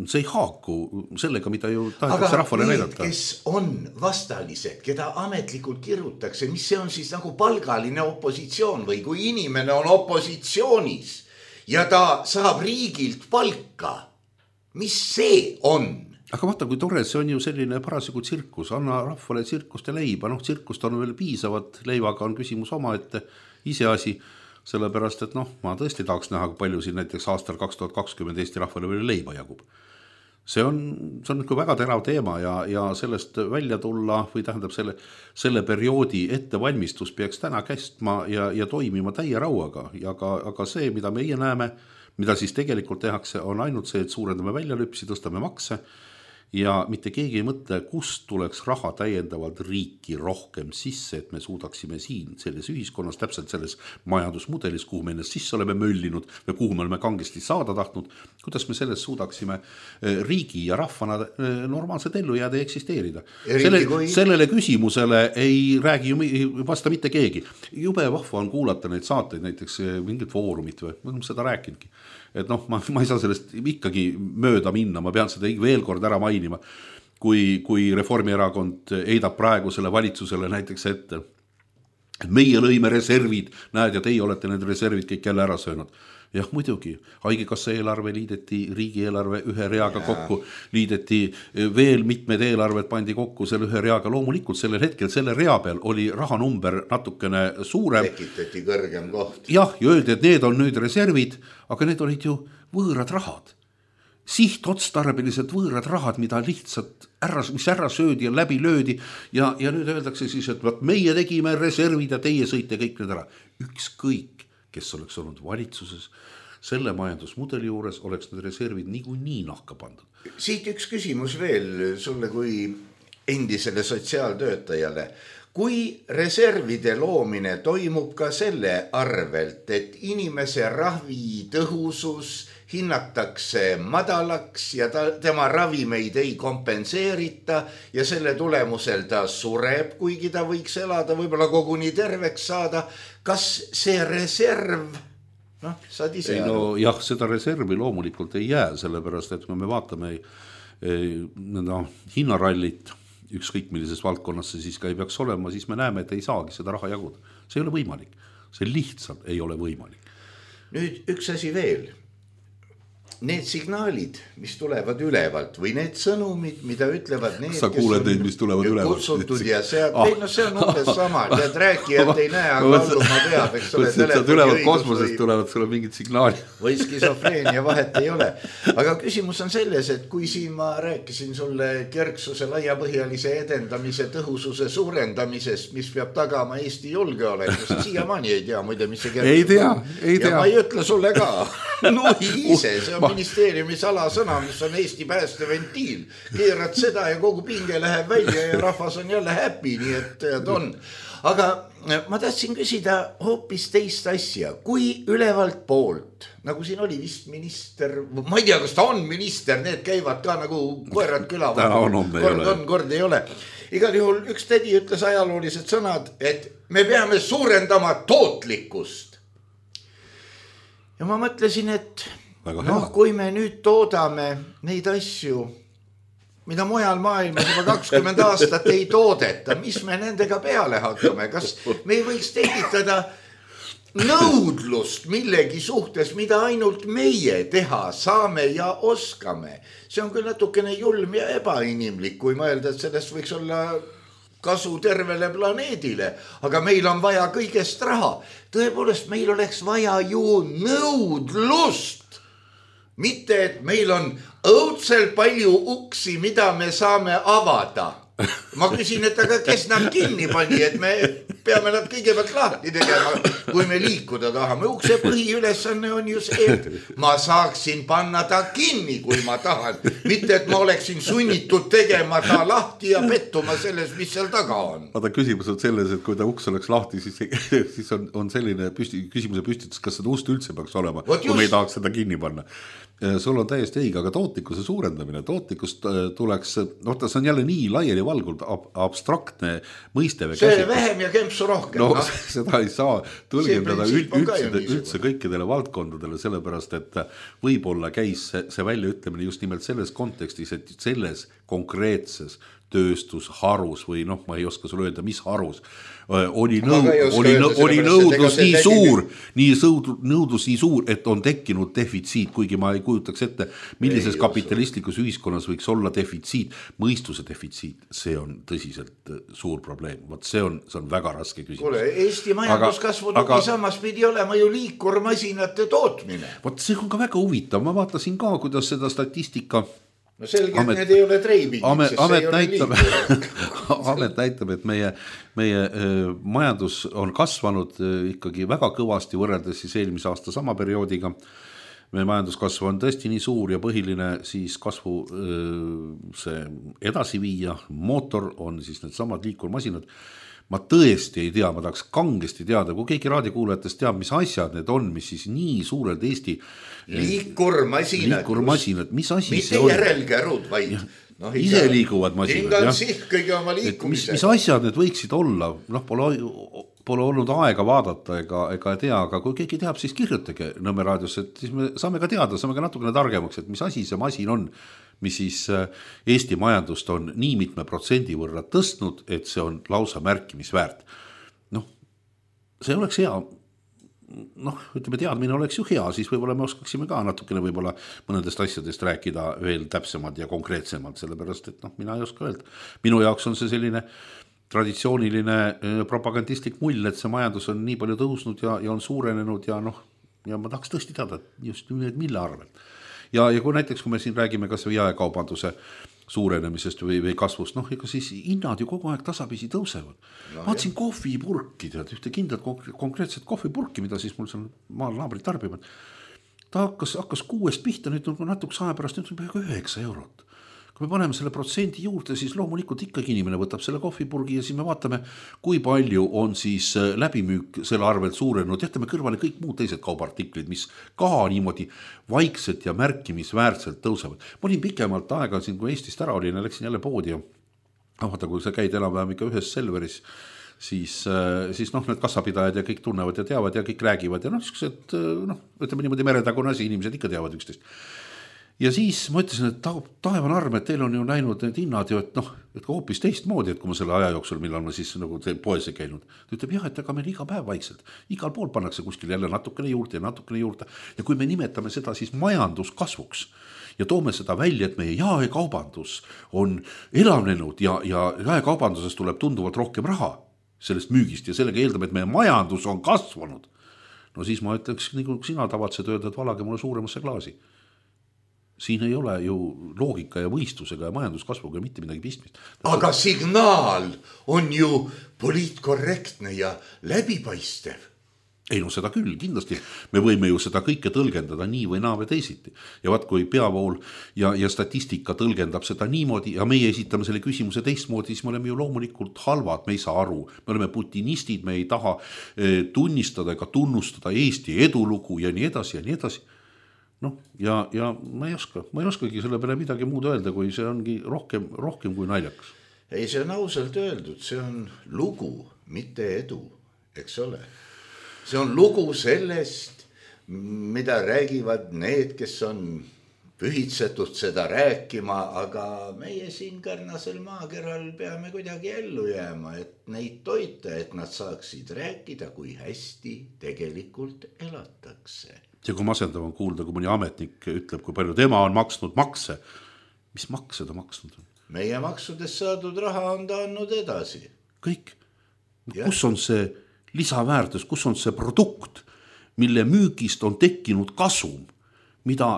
See ei haaku sellega, mida ju tahetakse rahvale näidata. Aga need, kes on vastalised, keda ametlikult kirjutakse, mis see on siis nagu palgaline opositsioon või kui inimene on opositsioonis ja ta saab riigilt palka, mis see on? Aga vaata, kui tore, see on ju selline parasjagu tsirkus, anna rahvale tsirkust ja leiba, noh tsirkust on veel piisavat, leivaga on küsimus oma, et iseasi, sellepärast, et noh, ma tõesti tahaks näha, kui palju siin näiteks aastal kaks tuhat kakskümmend Eesti rahvale veel leiba jagub. See on, see on nagu väga terav teema ja, ja sellest välja tulla või tähendab selle, selle perioodi ettevalmistus peaks täna kestma ja, ja toimima täie rauaga. Ja aga, aga see, mida meie näeme, mida siis tegelikult tehakse, on ainult see, et suurendame väljalüpsi, tõstame makse ja mitte keegi ei mõtle, kust tuleks raha täiendavalt riiki rohkem sisse, et me suudaksime siin selles ühiskonnas, täpselt selles majandusmudelis, kuhu me ennast sisse oleme möllinud või kuhu me oleme kangesti saada tahtnud, kuidas me selles suudaksime riigi ja rahvana normaalselt ellu jääda ja eksisteerida. Selle, kui... Sellele küsimusele ei räägi ju vasta mitte keegi. Jube vahva on kuulata neid saateid, näiteks mingit foorumit või, ma olen seda rääkinudki. Et noh, ma, ma ei saa sellest ikkagi mööda minna, ma pean seda veel kord ära mainima, kui, kui Reformierakond eidab praegu selle valitsusele näiteks ette. Meie lõime reservid, näed, ja teie olete need reservid kõik jälle ära söönud. Jah, muidugi, haigekassa eelarve liideti riigieelarve ühe reaga ja. Kokku, liideti veel mitmed eelarved pandi kokku selle ühe reaga, loomulikult sellel hetkel selle rea peal oli rahanumber natukene suurem. Tekitati kõrgem koht. Jah, ja öeldi, et need on nüüd reservid, aga need olid ju võõrad rahad. Sihtotstarbeliselt võõrad rahad, mida lihtsalt ära, mis ära söödi ja läbi löödi ja, ja nüüd öeldakse siis, et võt, meie tegime reservid ja teie sõite kõik need ära. Ükskõik, kes oleks olnud valitsuses, selle majandusmudeli juures oleks need reservid niigu nii nahka pandud. Siit üks küsimus veel sulle kui endisele sotsiaaltöötajale. Kui reservide loomine toimub ka selle arvelt, et inimese ravi tõhusus hinnatakse madalaks ja ta, tema ravimeid ei kompenseerita ja selle tulemusel ta sureb, kuigi ta võiks elada, võib-olla koguni terveks saada. Kas see reserv, noh, saad ise ei, no, jah, seda reservi loomulikult ei jää, sellepärast, et kui me vaatame no, hinnarallit, ükskõik millises valdkonnas see siis ka ei peaks olema, siis me näeme, et ei saagi seda raha jaguda. See ei ole võimalik. See lihtsalt ei ole võimalik. Nüüd üks asi veel. Need signaalid, mis tulevad ülevalt või need sõnumid, mida ütlevad need, sa kuuled neid, mis tulevad ülevalt. Kutsutud ja sealt, ah. ei, no see on umbes sama, tead rääkijat ei näe, aga lauluma peab, eks ole. Sealt ülevalt kosmosest tulevad sulle mingid signaali. Või skisofreenia vahet ei ole. Aga küsimus on selles, et kui siin ma rääkisin sulle kerksuse laiapõhjalise edendamise tõhususe suurendamisest, mis peab tagama Eesti julgeoleku, siiamaani ei tea, muide, mis see kerksus ei tea, ei tea. Ja ma ei ütle sulle ka. No ise, see on ministeeriumi salasõna, mis on Eesti päästeventiil. Keerad seda ja kogu pinge läheb välja ja rahvas on jälle happy, nii et on. Aga ma tahtsin küsida hoopis teist asja. Kui ülevalt poolt, nagu siin oli vist minister, ma ei tea, kas ta on minister, need käivad ka nagu koerad küla. Täna on, on, kord on, kord ei ole. igal juhul üks tädi ütles ajaloolised sõnad, et me peame suurendama tootlikkust. Ja ma mõtlesin, et noh, kui me nüüd toodame neid asju, mida mujal maailmas juba kakskümmend aastat ei toodeta, mis me nendega peale hakkame, kas me ei võiks tekitada nõudlust millegi suhtes, mida ainult meie teha saame ja oskame. See on küll natukene julm ja ebainimlik, kui mõelda, et sellest võiks olla kasu tervele planeedile, aga meil on vaja kõigest raha. Tõepoolest, meil oleks vaja ju nõudlust. Mitte, et meil on õudselt palju uksi, mida me saame avada. Ma küsin, et aga kes nad kinni pani, et me peame nad kõigepealt lahti tegema, kui me liikuda tahame. Ukse põhiülesanne on ju see, et ma saaksin panna ta kinni, kui ma tahan. Mitte, et ma oleksin sunnitud tegema ta lahti ja pettuma selles, mis seal taga on. Aga küsimus on selles, et kui ta uks oleks lahti, siis, siis on, on selline püsti, küsimuse püstitus, kas seda ust üldse peaks olema, kui me ei tahaks seda kinni panna. Sul on täiesti õige, aga tootlikkuse suurendamine, tootlikkust tuleks, noh, ta on jälle nii laiali valgult ab, abstraktne mõiste. See vähem ja kempsu rohkem. No, no. Seda ei saa tõlgendada üldse, üldse kõikidele valdkondadele, sellepärast, et võib-olla käis see, see väljaütlemine just nimelt selles kontekstis, et selles konkreetses tööstusharus või noh, ma ei oska sulle öelda, mis harus oli, nõud, oli, oli nõudlus nii suur, nii nõudlus nii suur, et on tekkinud defitsiit, kuigi ma ei kujutaks ette, millises kapitalistlikus ühiskonnas võiks olla defitsiit, mõistuse defitsiit, see on tõsiselt suur probleem, Vot see on, see on väga raske küsimus. Kuule, Eesti majanduskasvu tugi samas pidi olema ju liikurmasinate tootmine. Vot see on ka väga huvitav, ma vaatasin ka, kuidas seda statistika no selge, amet, et need ei ole treibingid, amet, sest amet see ei näitab, ole amet näitab, et meie, meie äh, majandus on kasvanud äh, ikkagi väga kõvasti võrreldes siis eelmise aasta sama perioodiga. Meie majanduskasv on tõesti nii suur ja põhiline siis kasvu äh, see edasi viia, mootor on siis need samad liikurmasinad. Ma tõesti ei tea, ma tahaks kangesti teada, kui keegi raadiokuulajatest teab, mis asjad need on, mis siis nii suurelt Eesti liikurmasinad, liikurmasinad, mis asi mitte see on? Järelkärud, vaid no, ise liiguvad masinad. Siht kõige oma liikumise. Mis, mis asjad need võiksid olla? Noh, pole, pole olnud aega vaadata ega, ega tea, aga kui keegi teab, siis kirjutage Nõmme raadios, et siis me saame ka teada, saame ka natukene targemaks, et mis asi see masin on, mis siis Eesti majandust on nii mitme protsendi võrra tõstnud, et see on lausa märkimisväärt. Noh, see oleks hea, noh, ütleme, teadmine oleks ju hea, siis võib-olla me oskaksime ka natukene võib-olla mõnedest asjadest rääkida veel täpsemad ja konkreetsemad, sellepärast, et noh, mina ei oska öelda. Minu jaoks on see selline traditsiooniline propagandistlik mull, et see majandus on nii palju tõusnud ja, ja on suurenenud ja noh, ja ma tahaks tõesti teada, just mille arvelt. Ja, ja kui näiteks, kui me siin räägime kas või jaekaubanduse suurenemisest või, või kasvust, noh, ega siis hinnad ju kogu aeg tasapisi tõusevad. No, Vaatsin kohvipurki, tead, ühte kindlat konkreetset kohvipurki, mida siis mul seal maal naabrid tarbivad. Ta hakkas, hakkas kuuest pihta, nüüd on natuks aja pärast, nüüd on peaaegu üheksa eurot. Kui me paneme selle protsendi juurde, siis loomulikult ikkagi inimene võtab selle kohvipurgi ja siis me vaatame, kui palju on siis läbimüük selle arvelt suurenenud. Jätame kõrvale kõik muud teised kaubartiklid, mis ka niimoodi vaikselt ja märkimisväärselt tõusevad. Ma olin pikemalt aega siin, kui Eestist ära olin ja läksin jälle poodi ja vaata, kui sa käid enam-vähem ikka ühes Selveris, siis, siis noh, need kassapidajad ja kõik tunnevad ja teavad ja kõik räägivad ja noh, et, noh ütleme niimoodi meretagune asi, inimesed ikka teavad üksteist. Ja siis ma ütlesin, et taevan arm, et teil on ju näinud need hinnad ju, et noh, et hoopis teistmoodi, et kui ma selle aja jooksul, millal ma siis nagu poes ei käinud. Ta ütleb, jah, et aga meil iga päev vaikselt, igal pool pannakse kuskil jälle natukene juurde ja natukene juurde. Ja kui me nimetame seda siis majanduskasvuks ja toome seda välja, et meie jaekaubandus on elavnenud ja, ja jaekaubanduses tuleb tunduvalt rohkem raha sellest müügist ja sellega eeldame, et meie majandus on kasvanud. No siis ma ütleks, nii kui sina tavatsed öelda, et valage mulle suuremasse klaasi. Siin ei ole ju loogika ja võistlusega ja majanduskasvuga mitte midagi pistmist. Aga signaal on ju poliitkorrektne ja läbipaistev. Ei no seda küll, kindlasti. Me võime ju seda kõike tõlgendada nii või naa või teisiti. Ja vaat kui peavool ja, ja statistika tõlgendab seda niimoodi ja meie esitame selle küsimuse teistmoodi, siis me oleme ju loomulikult halvad, me ei saa aru. Me oleme putinistid, me ei taha tunnistada ega tunnustada Eesti edulugu ja nii edasi ja nii edasi. noh, ja, ja ma ei oska, ma ei oskagi selle peale midagi muud öelda, kui see ongi rohkem, rohkem kui naljakas. ei, see on ausalt öeldud, see on lugu, mitte edu, eks ole. See on lugu sellest, mida räägivad need, kes on pühitsetud seda rääkima, aga meie siin Kärnasel maakeral peame kuidagi ellu jääma, et neid toita, et nad saaksid rääkida, kui hästi tegelikult elatakse. Ja kui masendav on kuulda, kui mõni ametnik ütleb, kui palju tema on maksnud makse. Mis makse ta maksnud on? Meie maksudest saadud raha on ta andnud edasi. Kõik. Kus on see lisaväärtus, kus on see produkt, mille müügist on tekkinud kasum, mida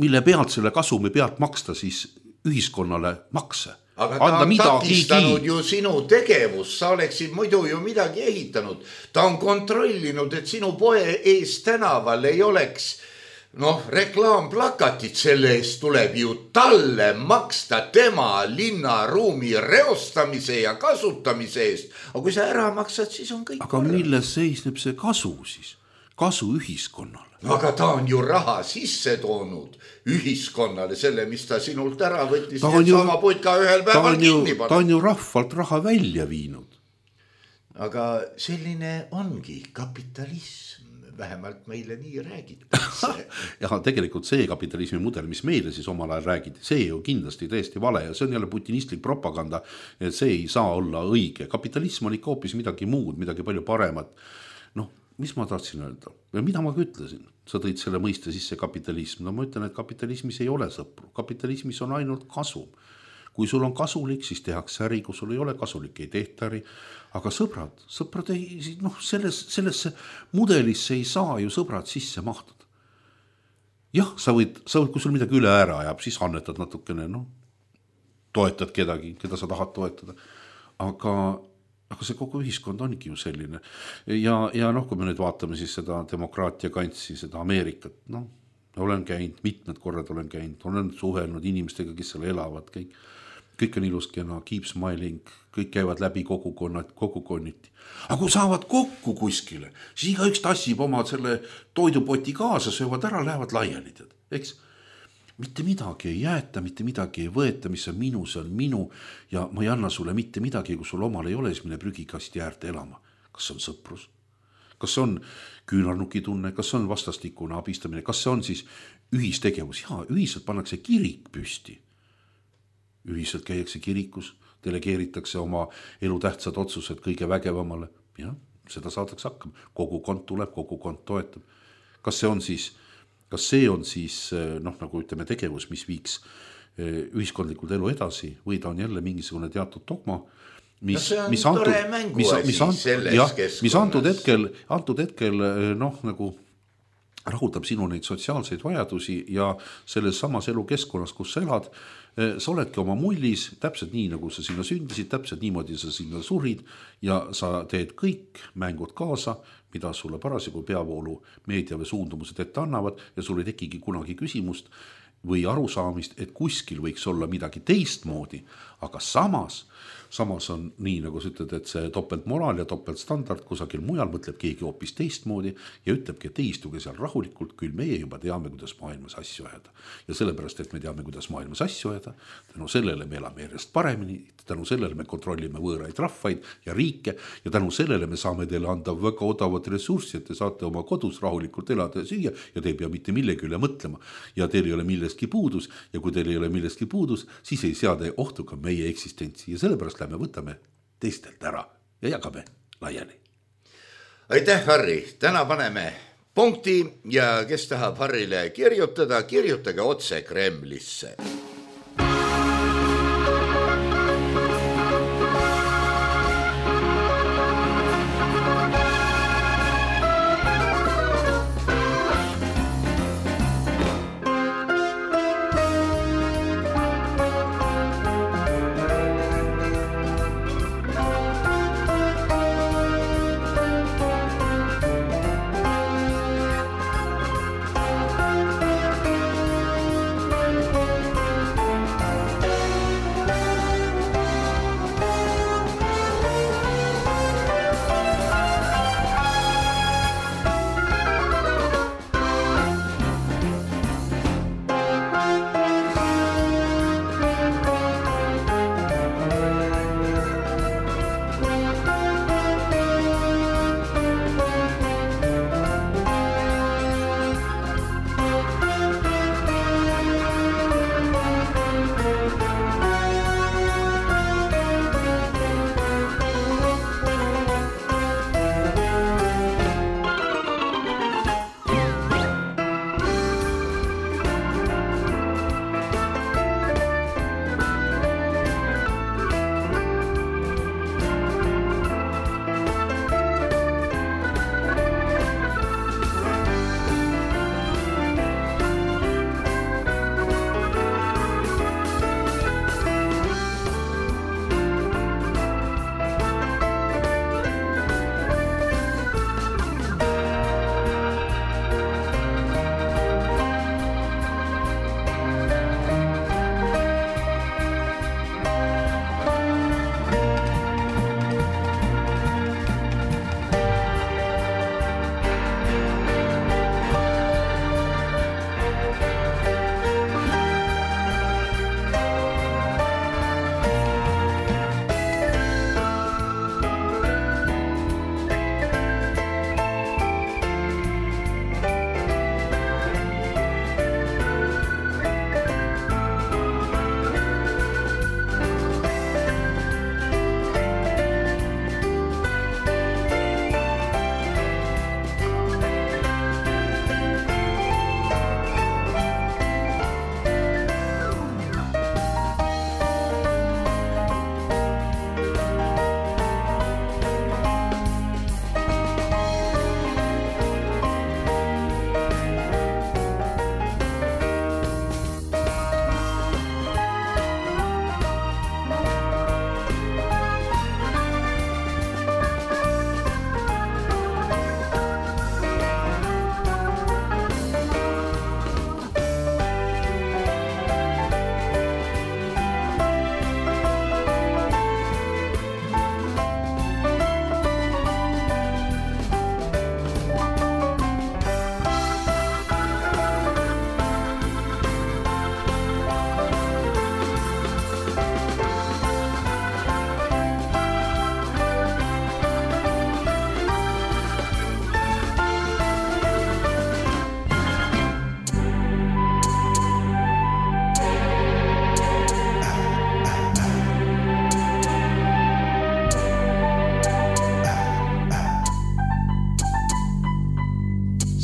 mille pealt selle kasumi pealt maksta siis ühiskonnale makse. Aga ta on takistanud ju sinu tegevus, sa oleksid muidu ju midagi ehitanud. Ta on kontrollinud, et sinu poe ees tänaval ei oleks noh, reklaamplakatit, selle eest tuleb ju talle maksta tema linnaruumi reostamise ja kasutamise eest. Aga kui sa ära maksad, siis on kõik. Aga milles seisneb see kasu siis? Kasu ühiskonnale. Aga ta on ju raha sisse toonud ühiskonnale, selle, mis ta sinult ära võttis, et ju, sama putka ühel päeval kinni pannud. Ta on ju rahvalt raha välja viinud. Aga selline ongi kapitalism, vähemalt meile nii räägitakse. Ja tegelikult see kapitalismi mudel, mis meile siis omal ajal räägiti, see ju kindlasti täiesti vale ja see on jälle putinistlik propaganda, et see ei saa olla õige. Kapitalism on ikka hoopis midagi muud, midagi palju paremat. Noh, mis ma tahtsin öelda? Ja mida ma ka ütlesin? Sa tõid selle mõiste sisse kapitalism. No ma ütlen, et kapitalismis ei ole sõpru. Kapitalismis on ainult kasum. Kui sul on kasulik, siis tehakse äri. Kui sul ei ole kasulik, ei tehta äri. Aga sõbrad, sõbrad ei, noh, selles, sellesse mudelisse ei saa ju sõbrad sisse mahtuda. Jah, sa võid, sa võid, kui sul midagi üle ära ajab, siis annetad natukene, noh, toetad kedagi, keda sa tahad toetada. Aga Aga see kogu ühiskond ongi ju selline. Ja, ja noh, kui me nüüd vaatame siis seda demokraatia kantsi, seda Ameerikat, noh, olen käinud, mitmed korrad olen käinud, olen suhelnud inimestega, kes seal elavad, kõik, kõik on ilus kena, keep smiling, kõik käivad läbi kogukonnad, kogukonniti. Aga kui saavad kokku kuskile, siis iga üks tassib oma selle toidupoti kaasa, söövad ära, lähevad laiali, tead, eks? Mitte midagi ei jäeta, mitte midagi ei võeta, mis on minu, see on minu ja ma ei anna sulle mitte midagi, kui sul omal ei ole, siis mine prügikasti äärde elama. Kas see on sõprus? Kas see on küünarnuki tunne? Kas see on vastastikune abistamine? Kas see on siis ühistegevus? Jaa, ühiselt pannakse kirik püsti. Ühiselt käiakse kirikus, delegeeritakse oma elutähtsad otsused kõige vägevamale. Ja, seda saadakse hakkama. Kogukond tuleb, kogukond toetab. Kas see on siis Kas see on siis, noh, nagu ütleme, tegevus, mis viiks ühiskondlikult elu edasi või ta on jälle mingisugune teatud dogma, mis, no mis, antud, mis, mis, antud, jah, mis antud hetkel, antud hetkel, noh, nagu rahuldab sinu neid sotsiaalseid vajadusi ja selles samas elukeskkonnas, kus sa elad, sa oledki oma mullis, täpselt nii, nagu sa sinna sündisid, täpselt niimoodi sa sinna surid ja sa teed kõik mängud kaasa, mida sulle parasjagu peavoolu meedia või suundumused ette annavad ja sul ei tekigi kunagi küsimust või arusaamist, et kuskil võiks olla midagi teistmoodi, aga samas, samas on nii, nagu sa ütled, et see topeltmoraal ja topeltstandard kusagil mujal mõtleb keegi hoopis teistmoodi ja ütlebki, et istuge seal rahulikult, küll meie juba teame, kuidas maailmas asju ajada. Ja sellepärast, et me teame, kuidas maailmas asju ajada, tänu sellele me elame järjest paremini, tänu sellele me kontrollime võõraid rahvaid ja riike ja tänu sellele me saame teile anda väga odavat ressurssi, et te saate oma kodus rahulikult elada ja süüa ja te ei pea mitte millegi üle mõtlema ja teil ei ole millestki puudus ja kui teil ei ole millestki puudus, siis ei seada ohtu ka meie eksistentsi ja sellepärast lähme võtame teistelt ära ja jagame laiali. Aitäh, Harri! Täna paneme punkti ja kes tahab Harrile kirjutada, kirjutage otse Kremlisse.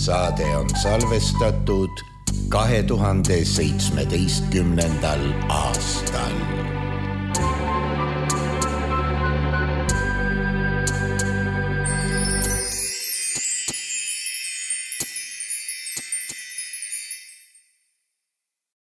saade on salvestatud kahe tuhande seitsmeteistkümnendal aastal.